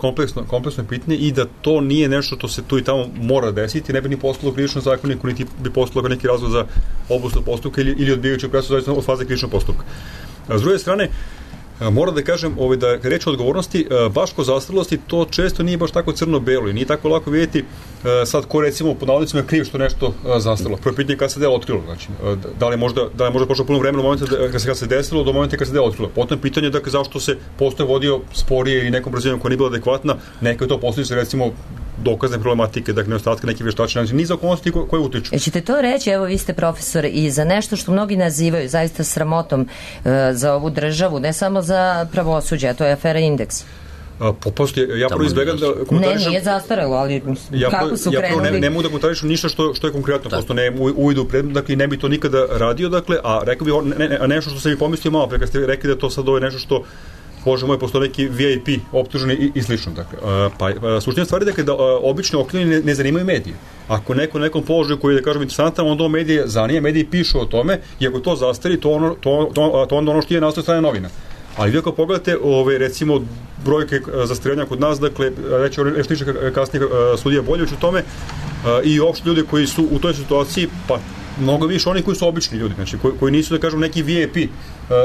kompleksno pitanje i da to nije nešto što se tu i tamo mora desiti, ne bi ni postalo krivično zakoniku, niti bi postalo neki razlog za obustavu postupka ili odbijajuću presudu zavisno od faze krivičnog postupka. S druge strane, moram da kažem da kad reč o odgovornosti, baš kod zastarelosti to često nije baš tako crno-belo i nije tako lako vidjeti sad ko recimo pod navodnicima je kriv što nešto zastarelo. Prvo pitanje je kada se delo otkrilo, znači da li je možda prošlo puno vremena u momentu kad se desilo do momenta kad se delo otkrilo. Potom pitanje je zašto se postoje vodio sporije ili nekom brzinom koja nije bila adekvatna, neka je to posljedica recimo dokazne problematike, dakle nedostatka nekih veštačina, znači niz okolnosti koje utiču. Ćete to reći, evo vi ste profesor, i za nešto što mnogi nazivaju zaista sramotom za ovu državu, ne samo za pravosuđe, a to je afera Indeks. Ja prvo izbegam da komentarišem... Ne, nije zastarelo, ali kako su krenuli... Ne mogu da komentarišem ništa što je konkretno, prosto ne uvidu u predmet, dakle ne bi to nikada radio, dakle, a rekao bi nešto što sam i pomislio malo pre, kad ste rekli da to sad je nešto što Bože moj, postoje neki VIP optuženi i slično. Dakle, suština stvari je da obično okrivljeni ne zanimaju medije. Ako neko nekom položaju koji je, da kažem, interesantan, onda medije zanima, mediji pišu o tome i ako to zastari, to onda ono što je nastoje strane novina. Ali vi ako pogledate, recimo, brojke zastarevanja kod nas, dakle, reći nešto kasnije sudija Boljević u tome, i uopšte ljudi koji su u toj situaciji, pa mnogo više oni koji su obični ljudi, znači koji nisu, da kažem, neki VIP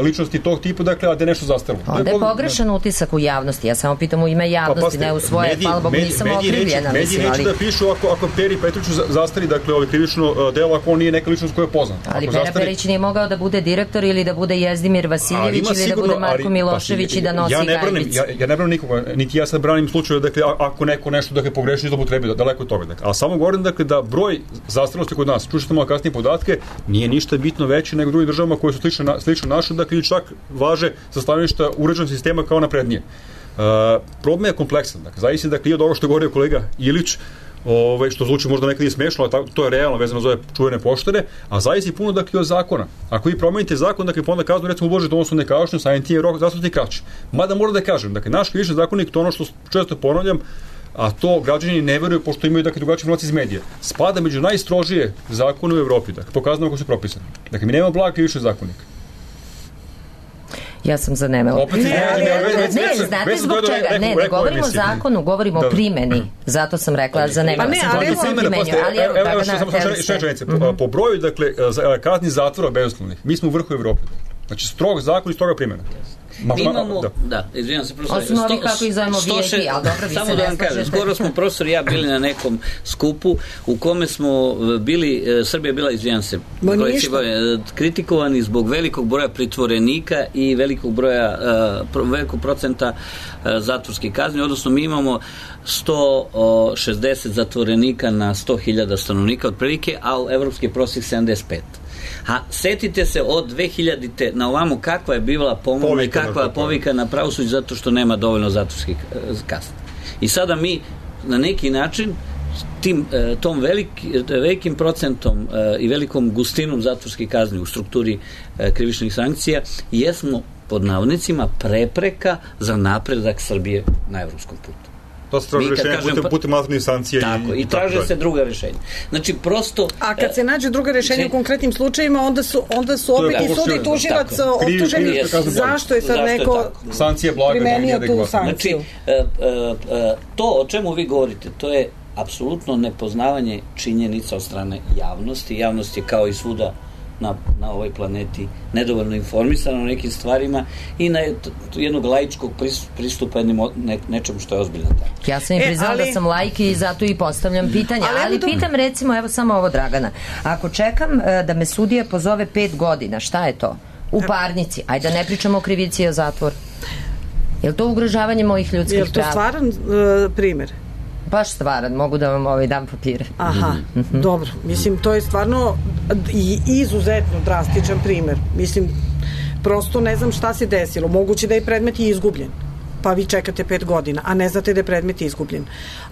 ličnosti tog tipa, dakle, a da je nešto zastarilo. Onda je pogrešan utisak u javnosti, ja samo pitam u ime javnosti, ne u svoje, hvala Bogu, nisam okrivljena. Mediji neće da pišu ako Peri Petriću zastari, dakle, krivično delo, ako on nije neka ličnost koja je poznata. Ali Pera Perić nije mogao da bude direktor ili da bude Jezdimir Vasiljević ili da bude Marko Milošević i da nosi gajbicu. Ja ne branim nikoga, niti ja sad branim slučaju, dakle, ako neko nešto, dakle, pogreši, zloupotrebi, daleko od toga. A samo govorim, dakle, da broj zastarelosti kod nas, čućete malo kasnije podatke, nije ništa bitno veći nego drugim državama koje su slično naše, dakle, ili čak važe sa stanovišta uređenog sistema kao naprednije. Problem je kompleksan, dakle, zavisi, dakle, i od ovo što je govorio kolega Ilić, što zvuči možda nekad i smešno, ali to je realno vezano za ove čuvene poštare, a zavisi puno, dakle, od zakona. Ako vi promenite zakon, dakle, pa onda kaznu, recimo, ublažite odnosno nekašnju, samim tim je rok zastarelosti kraći. Mada moram da kažem, dakle, naš krivični zakonik, to ono što često ponavljam, a to građani ne veruju pošto imaju drugačije informacije iz medija. Spada među najstrožije zakone u Evropi, pokazano kako su propisani. Dakle, mi nemamo blag krivični zakonik. Ja sam zanemela. Ne, znate zbog čega? Ne govorimo o zakonu, govorimo o primjeni. Zato sam rekla zanemela. Po broju, dakle, kazni zatvora bezuslovnih, mi smo u vrhu Evrope. Znači, strog zakon i stroga primjena. Mi imamo, izvinjam se, profesor, osim ovih kako ih zovemo VIP, ali dobro, vi se ne slažete. Samo da vam kažem, skoro smo profesor i ja bili na nekom skupu u kome smo bili, Srbija bila, izvinjam se, kritikovani zbog velikog broja pritvorenika i velikog procenta zatvorskih kazni, odnosno mi imamo 160 zatvorenika na 100.000 stanovnika otprilike, a u evropski prosjek 75. A setite se od 2000-te na ovamo kakva je bila pomona i kakva je povika na pravosuđe zato što nema dovoljno zatvorskih kazni. I sada mi na neki način tom velikim procentom i velikom gustinom zatvorskih kazni u strukturi krivičnih sankcija jesmo pod navodnicima prepreka za napredak Srbije na evropskom putu. To se traži rešenje putem alternativnih sankcija. Tako, i traže se druga rešenja. Znači, prosto... A kad se nađe druga rešenja u konkretnim slučajima, onda su opet i sud i tužilac optuženi. Zašto je sad neko primenio tu sankciju? Znači, to o čemu vi govorite, to je apsolutno nepoznavanje činjenica od strane javnosti. Javnost je kao i svuda na ovoj planeti nedovoljno informisana o nekim stvarima i na jednog laičkog pristupa nečemu što je ozbiljno tako. Ja sam i priznala da sam laik i zato i postavljam pitanja, ali pitam recimo, evo samo ovo Dragana, ako čekam da me sudija pozove 5 godina, šta je to? U parnici, ajde da ne pričamo o krivici i o zatvoru. Je li to ugrožavanje mojih ljudskih prava? Je li to stvaran primjer? Baš stvaran, mogu da vam dam papire. Aha, dobro. Mislim, to je stvarno izuzetno drastičan primjer. Mislim, prosto ne znam šta se desilo. Moguće da je predmet i izgubljen. Pa vi čekate 5 godina, a ne znate da je predmet izgubljen.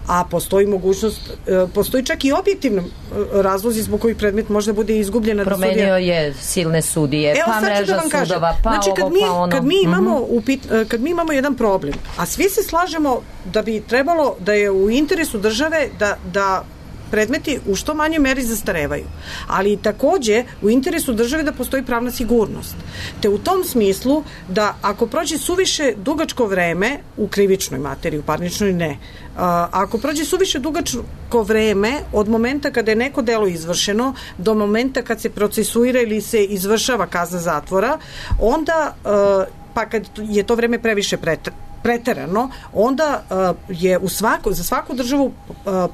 A postoji mogućnost, postoji čak i objektivno razlozi zbog kojih predmet možda bude izgubljen. Promenio je silne sudije, pa mreža sudova, pa znači, ovo, pa ono. Kad mi imamo jedan problem, a svi se slažemo da bi trebalo da je u interesu države da predmeti u što manjoj meri zastarevaju. Ali takođe u interesu države da postoji pravna sigurnost. Te u tom smislu da ako prođe suviše dugačko vreme u krivičnoj materiji, u parničnoj ne, ako prođe suviše dugačko vreme od momenta kada je neko delo izvršeno do momenta kad se procesuira ili se izvršava kazna zatvora, onda pa kad je to vreme previše preterano, onda je za svaku državu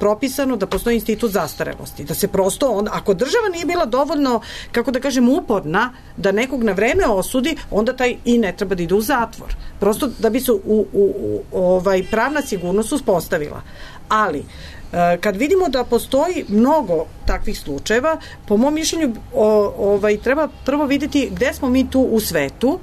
propisano da postoji institut zastarelosti. Da se prosto, ako država nije bila dovoljno, kako da kažem, uporna da nekog na vreme osudi, onda taj i ne treba da ide u zatvor. Prosto da bi se pravna sigurnost uspostavila. Ali, kad vidimo da postoji mnogo takvih slučajeva, po mom mišljenju treba prvo vidjeti gde smo mi tu u svetu,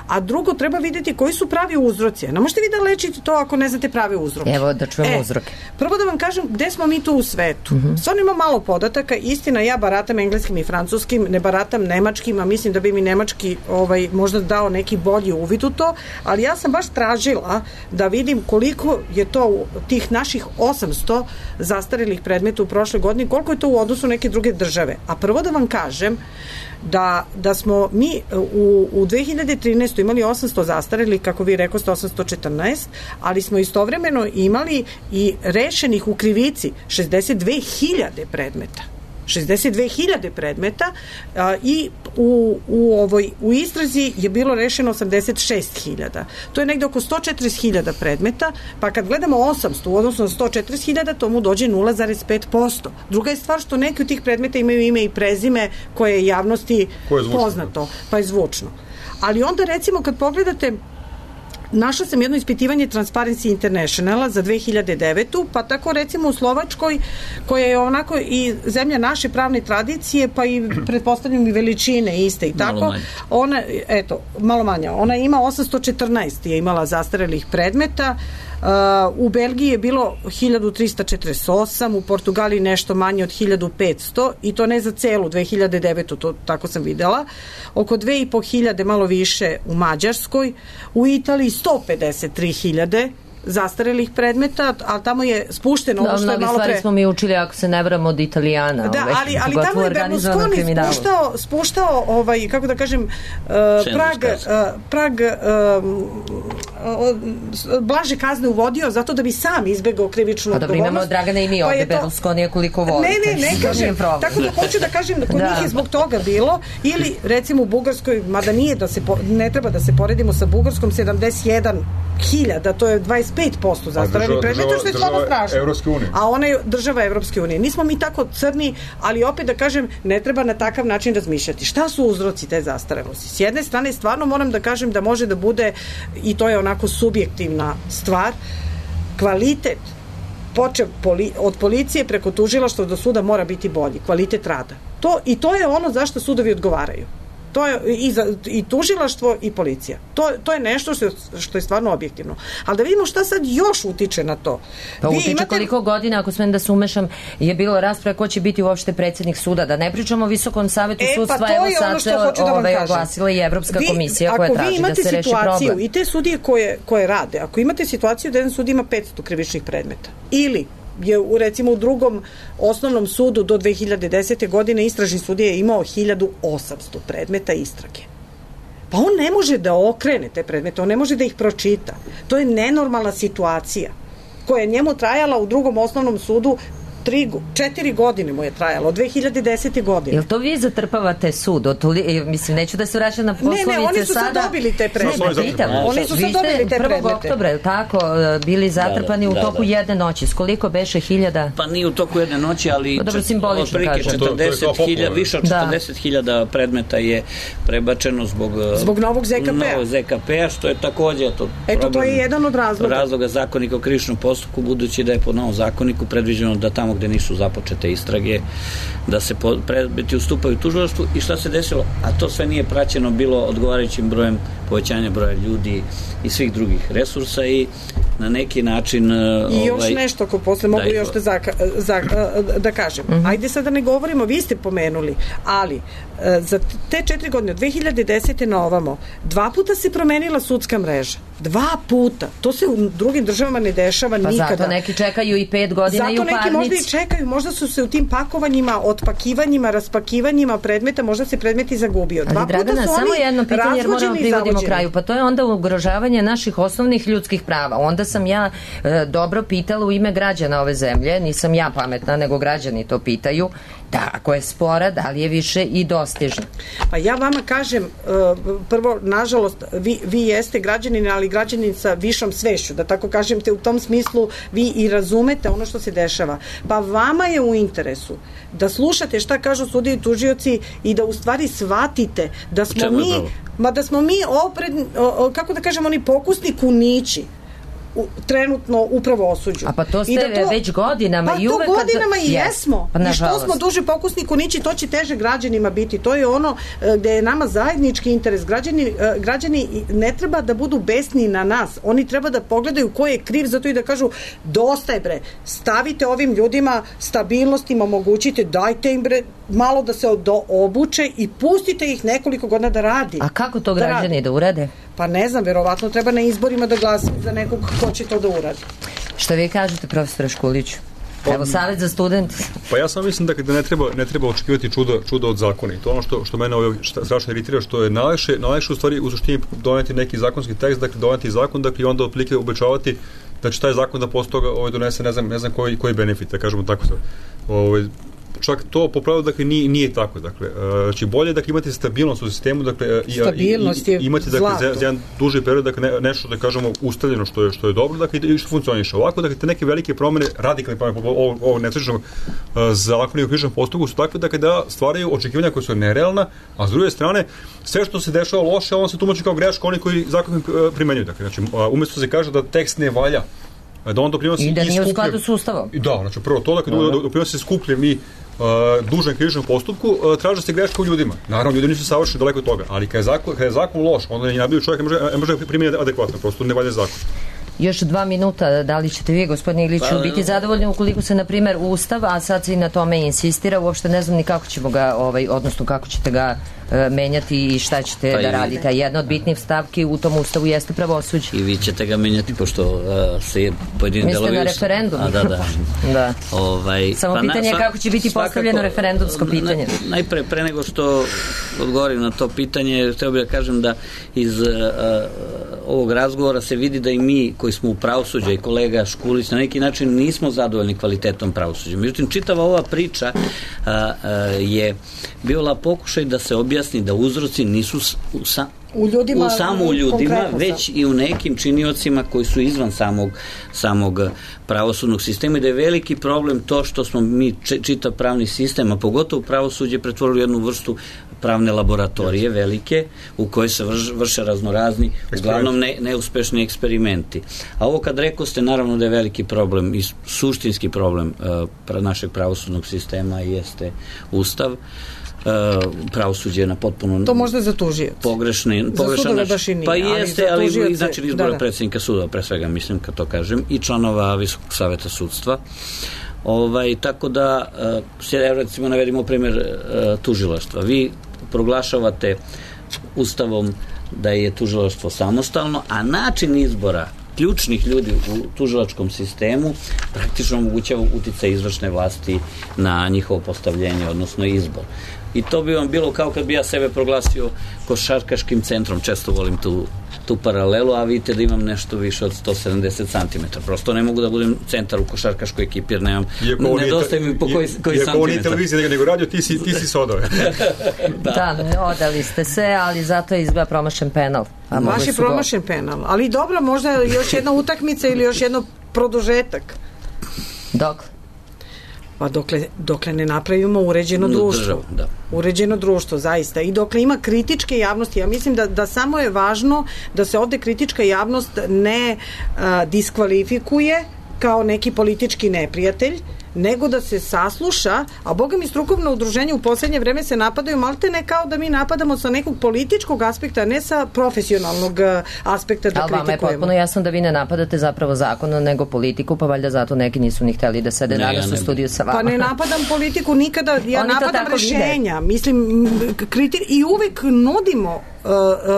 a drugo treba vidjeti koji su pravi uzroci. Ne možete vi da lečite to ako ne znate prave uzroke. Evo da čujemo uzroke. Prvo da vam kažem gde smo mi tu u svetu. Stvarno ima malo podataka. Istina, ja baratam engleskim i francuskim, ne baratam nemačkim, a mislim da bi mi nemački možda dao neki bolji uvid u to, ali ja sam baš tražila da vidim koliko je to tih naših 800 zastarelih predmeta u prošle godini, koliko je to u odnosu neke druge države. A prvo da vam kažem da smo mi u 2013. imali 800 zastarelih, kako vi rekoste 814, ali smo istovremeno imali i rešenih u krivici 62.000 predmeta. 62.000 predmeta i u istrazi je bilo rešeno 86.000. To je negde oko 140.000 predmeta, pa kad gledamo 800 u odnosu na 140.000, to mu dođe 0,5%. Druga je stvar što neki od tih predmeta imaju ime i prezime koje je javnosti poznato, pa je zvučno. Ali onda recimo kad pogledate, našla sam jedno ispitivanje Transparency Internationala za 2009. Pa tako recimo u Slovačkoj, koja je onako i zemlja naše pravne tradicije, pa i pretpostavljam i veličine iste i tako. Malo manja. Ona ima 814 je imala zastarelih predmeta. U Belgiji je bilo 1348, u Portugaliji nešto manje od 1500 i to ne za celu 2009. To tako sam videla. Oko 2500, malo više u Mađarskoj, u Italiji 153.000 zastarelih predmeta, ali tamo je spušteno ovo što je malo pre... Mnogi stvari smo mi učili, ako se ne vramo, od Italijana. Da, ali tamo je Berlusconi spuštao kako da kažem, prag blaže kazne uvodio zato da bi sam izbegao krivičnu odgovornost. Pa dobro, imamo Dragana i mi ovde, Berlusconija koliko volite. Ne kažem, tako da hoću da kažem da kod njih je zbog toga bilo, ili recimo u Bugarskoj, mada nije ne treba da se poredimo sa Bugarskom, 71.000, to je 25% zastarelih predmeta, što je stvarno strašno. A ona je država Evropske unije. Nismo mi tako crni, ali opet da kažem, ne treba na takav način razmišljati. Šta su uzroci te zastarelosti? S jedne strane, stvarno moram da kažem da može da bude, i to je onako subjektivna stvar, kvalitet počev od policije preko tužilaštva do suda mora biti bolji, kvalitet rada. To je ono zašto sudovi odgovaraju. To je i tužilaštvo i policija. To je nešto što je stvarno objektivno. Ali da vidimo šta sad još utiče na to. Pa utiče koliko godina, ako smem da se umešam, je bilo rasprave ko će biti uopšte predsjednik suda. Da ne pričamo o Visokom savetu sudstva, evo sad se oglasila i Evropska komisija koja traži da se reši problem. I te sudije koje rade, ako imate situaciju da jedan sud ima 500 krivičnih predmeta, ili je recimo u drugom osnovnom sudu do 2010. godine istražni sudija je imao 1800 predmeta istrage. Pa on ne može da okrene te predmete, on ne može da ih pročita. To je nenormalna situacija koja je njemu trajala u drugom osnovnom sudu 4 godine mu je trajalo, od 2010. godine. Jel to vi zatrpavate sud? Mislim, neću da se vraćam na poslovice sada. Ne, oni su sad dobili te predmete. Oni su sad dobili te predmete. 1. oktobra, je tako, bili zatrpani u toku jedne noći. S koliko beše 1000? Pa nije u toku jedne noći, ali dobro, simbolično kažem. 40.000, više od 40.000 predmeta je prebačeno zbog novog ZKP-a, što je takođe to je jedan od razloga Zakonika o krivičnom postupku, budući da je po novom zakoniku predviđeno da tamo gde nisu započete istrage, da se predmeti ustupaju tužilaštvu. I šta se desilo? A to sve nije praćeno bilo odgovarajućim brojem povećanja broja ljudi i svih drugih resursa i na neki način... I još nešto, ako posle mogu još da kažem. Ajde sad da ne govorimo, vi ste pomenuli, ali za te 4 godine, od 2010. na ovamo, 2 puta se promenila sudska mreža. 2 puta. To se u drugim državama ne dešava nikada. Pa zato neki čekaju i 5 godina i u parnici. Zato neki možda i čekaju, možda su se u tim pakovanjima, otpakivanjima, raspakivanjima predmeta, možda se predmeti zagubio. Ali Dragana, samo jedno pitanje, jer moramo privodimo kraju. Pa to je onda ugrožavanje naših osnovnih ljudskih prava. Onda sam ja dobro pitala u ime građana ove zemlje, nisam ja pametna, nego građani to pitaju, da ako je spora, da li je više i dostižna? Pa ja vama kažem, prvo, nažalost, vi jeste građanin, ali građanin sa višom svešću, da tako kažem te, u tom smislu vi i razumete ono što se dešava. Pa vama je u interesu da slušate šta kažu sudije i tužioci i da u stvari shvatite da smo mi kako da kažem, oni pokusni kunići trenutno upravo osuđu. A pa to ste već godinama i uvek... Pa to godinama i jesmo. I što smo duže pokusni kunići, to će teže građanima biti. To je ono gde je nama zajednički interes. Građani ne treba da budu besni na nas. Oni treba da pogledaju ko je kriv za to i da kažu dosta je bre. Stavite ovim ljudima stabilnost, im omogućite, dajte im bre malo da se obuče i pustite ih nekoliko godina da radi. A kako to građani da urade? Pa ne znam, verovatno treba na izborima da glasaju za nekog ko će to da uradi. Šta vi kažete, profesore Škuliću? Evo, savjet za student. Pa ja sam mislim da ne treba očekivati čuda od zakona. I to ono što mene strašno iritira, što je najlakše u stvari u suštini doneti neki zakonski tekst, dakle doneti zakon, dakle i onda otprilike obećavati da će taj zakon da posle toga donese ne znam koji benefit, da kažemo tako sad. Čak to po pravilu dakle nije tako, dakle znači bolje dakle imate stabilnost u sistemu, dakle imate dakle za jedan duži period, dakle nešto da kažemo ustaljeno što je dobro, dakle i što funkcioniše. Ovako dakle te neke velike promene, radikalne promene ovog nesrećnog zakona o krivičnom postupku su takve dakle da stvaraju očekivanja koja su nerealna, a s druge strane sve što se dešava loše, on se tumači kao greška oni koji zakon primenjuju, dakle znači umesto se kaže da tekst ne valja, da on doprinosi i da nije u skladu s Ustavom. Da, znači prvo to dakle doprinosi skupljem i dužan krivičnom postupku, traže se greška u ljudima. Naravno, ljudi nisu savršeni, daleko od toga, ali kada je zakon loš, onda je najbolji čovjek ne može primjeniti adekvatno, prosto ne valja zakon. Još 2 minuta, da li ćete vi, gospodine Iliću, biti zadovoljni ukoliko se, na primjer, Ustav, a sad se i na tome insistira, uopšte ne znam ni kako ćemo ga, odnosno kako ćete ga menjati i šta ćete da radite. A jedna od bitnih stavki u tom Ustavu jeste pravosuđe. I vi ćete ga menjati, pošto se pojedini delovi... Mislite na referendum? Da. Samo pitanje je kako će biti postavljeno referendumsko pitanje. Najpre, pre nego što odgovorim na to pitanje, hteo bih da kažem da iz ovog razgovora se vidi da i mi koji smo u pravosuđu i kolega Škulić na neki način nismo zadovoljni kvalitetom pravosuđa. Međutim, čitava ova priča je bila pokušaj da se objasni da uzroci nisu samo u ljudima, već i u nekim činiocima koji su izvan samog pravosudnog sistema i da je veliki problem to što smo mi čitav pravni sistem, a pogotovo pravosuđe pretvorili jednu vrstu pravne laboratorije velike u kojoj se vrše raznorazni, uglavnom neuspešni eksperimenti. A ovo kad rekao ste, naravno da je veliki problem i suštinski problem našeg pravosudnog sistema jeste Ustav. Pravosuđe na potpuno to možda za tužioce pogrešne za sudove baš i nije, pa jeste, ali znači izbora predsjednika sudova, pre svega mislim kad to kažem, i članova Visokog saveta sudstva. Tako da recimo navedimo primjer tužilaštva. Vi proglašavate Ustavom da je tužilaštvo samostalno, a način izbora ključnih ljudi u tužilačkom sistemu praktično omogućava uticaj izvršne vlasti na njihovo postavljenje, odnosno izbor. I to bi vam bilo kao kad bi ja sebe proglasio košarkaškim centrom, često volim tu paralelu, a vidite da imam nešto više od 170 cm. Prosto ne mogu da budem centar u košarkaškoj ekipi jer nedostaje mi po koji santimetar. Iako ovo nije televizija nego radio, ti si sodove. Da, odali ste se, ali zato je izgleda promašen penal. Baš je promašen penal, ali dobro, možda još jedna utakmica ili još jedno produžetak. Dok? Pa dokle ne napravimo uređeno društvo. Uređeno društvo, zaista. I dokle ima kritičke javnosti, ja mislim da samo je važno da se ovde kritička javnost ne diskvalifikuje kao neki politički neprijatelj, nego da se sasluša, a boga mi strukovno udruženje u poslednje vreme se napadaju malte ne kao da mi napadamo sa nekog političkog aspekta, ne sa profesionalnog aspekta da kritikujemo. Ali vama je potpuno jasno da vi ne napadate zapravo zakon, nego politiku, pa valjda zato neki nisu ni hteli da sede danas u studiju sa vama. Pa ne napadam politiku nikada, ja napadam rešenja. Mislim, i uvek nudimo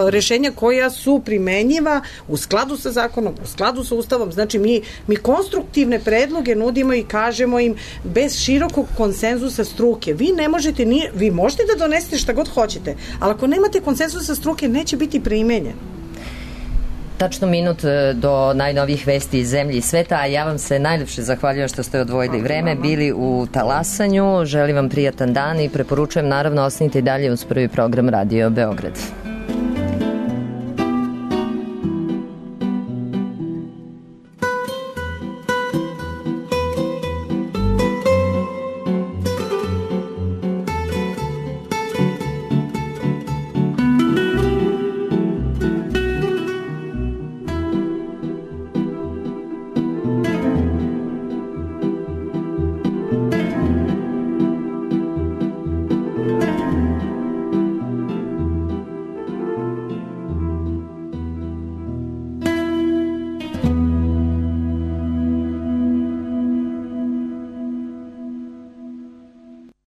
rešenja koja su primenjiva u skladu sa zakonom, u skladu sa Ustavom. Znači, mi konstruktivne predloge nudimo i kažemo im bez širokog konsenzusa struke. Vi možete da donesete šta god hoćete, ali ako nemate konsenzusa struke, neće biti primenjen. Tačno minut do najnovijih vesti iz zemlje i sveta, a ja vam se najlepše zahvaljujem što ste odvojili vreme, bili u Talasanju, želim vam prijatan dan i preporučujem naravno ostanite i dalje uz prvi program Radio Beograd.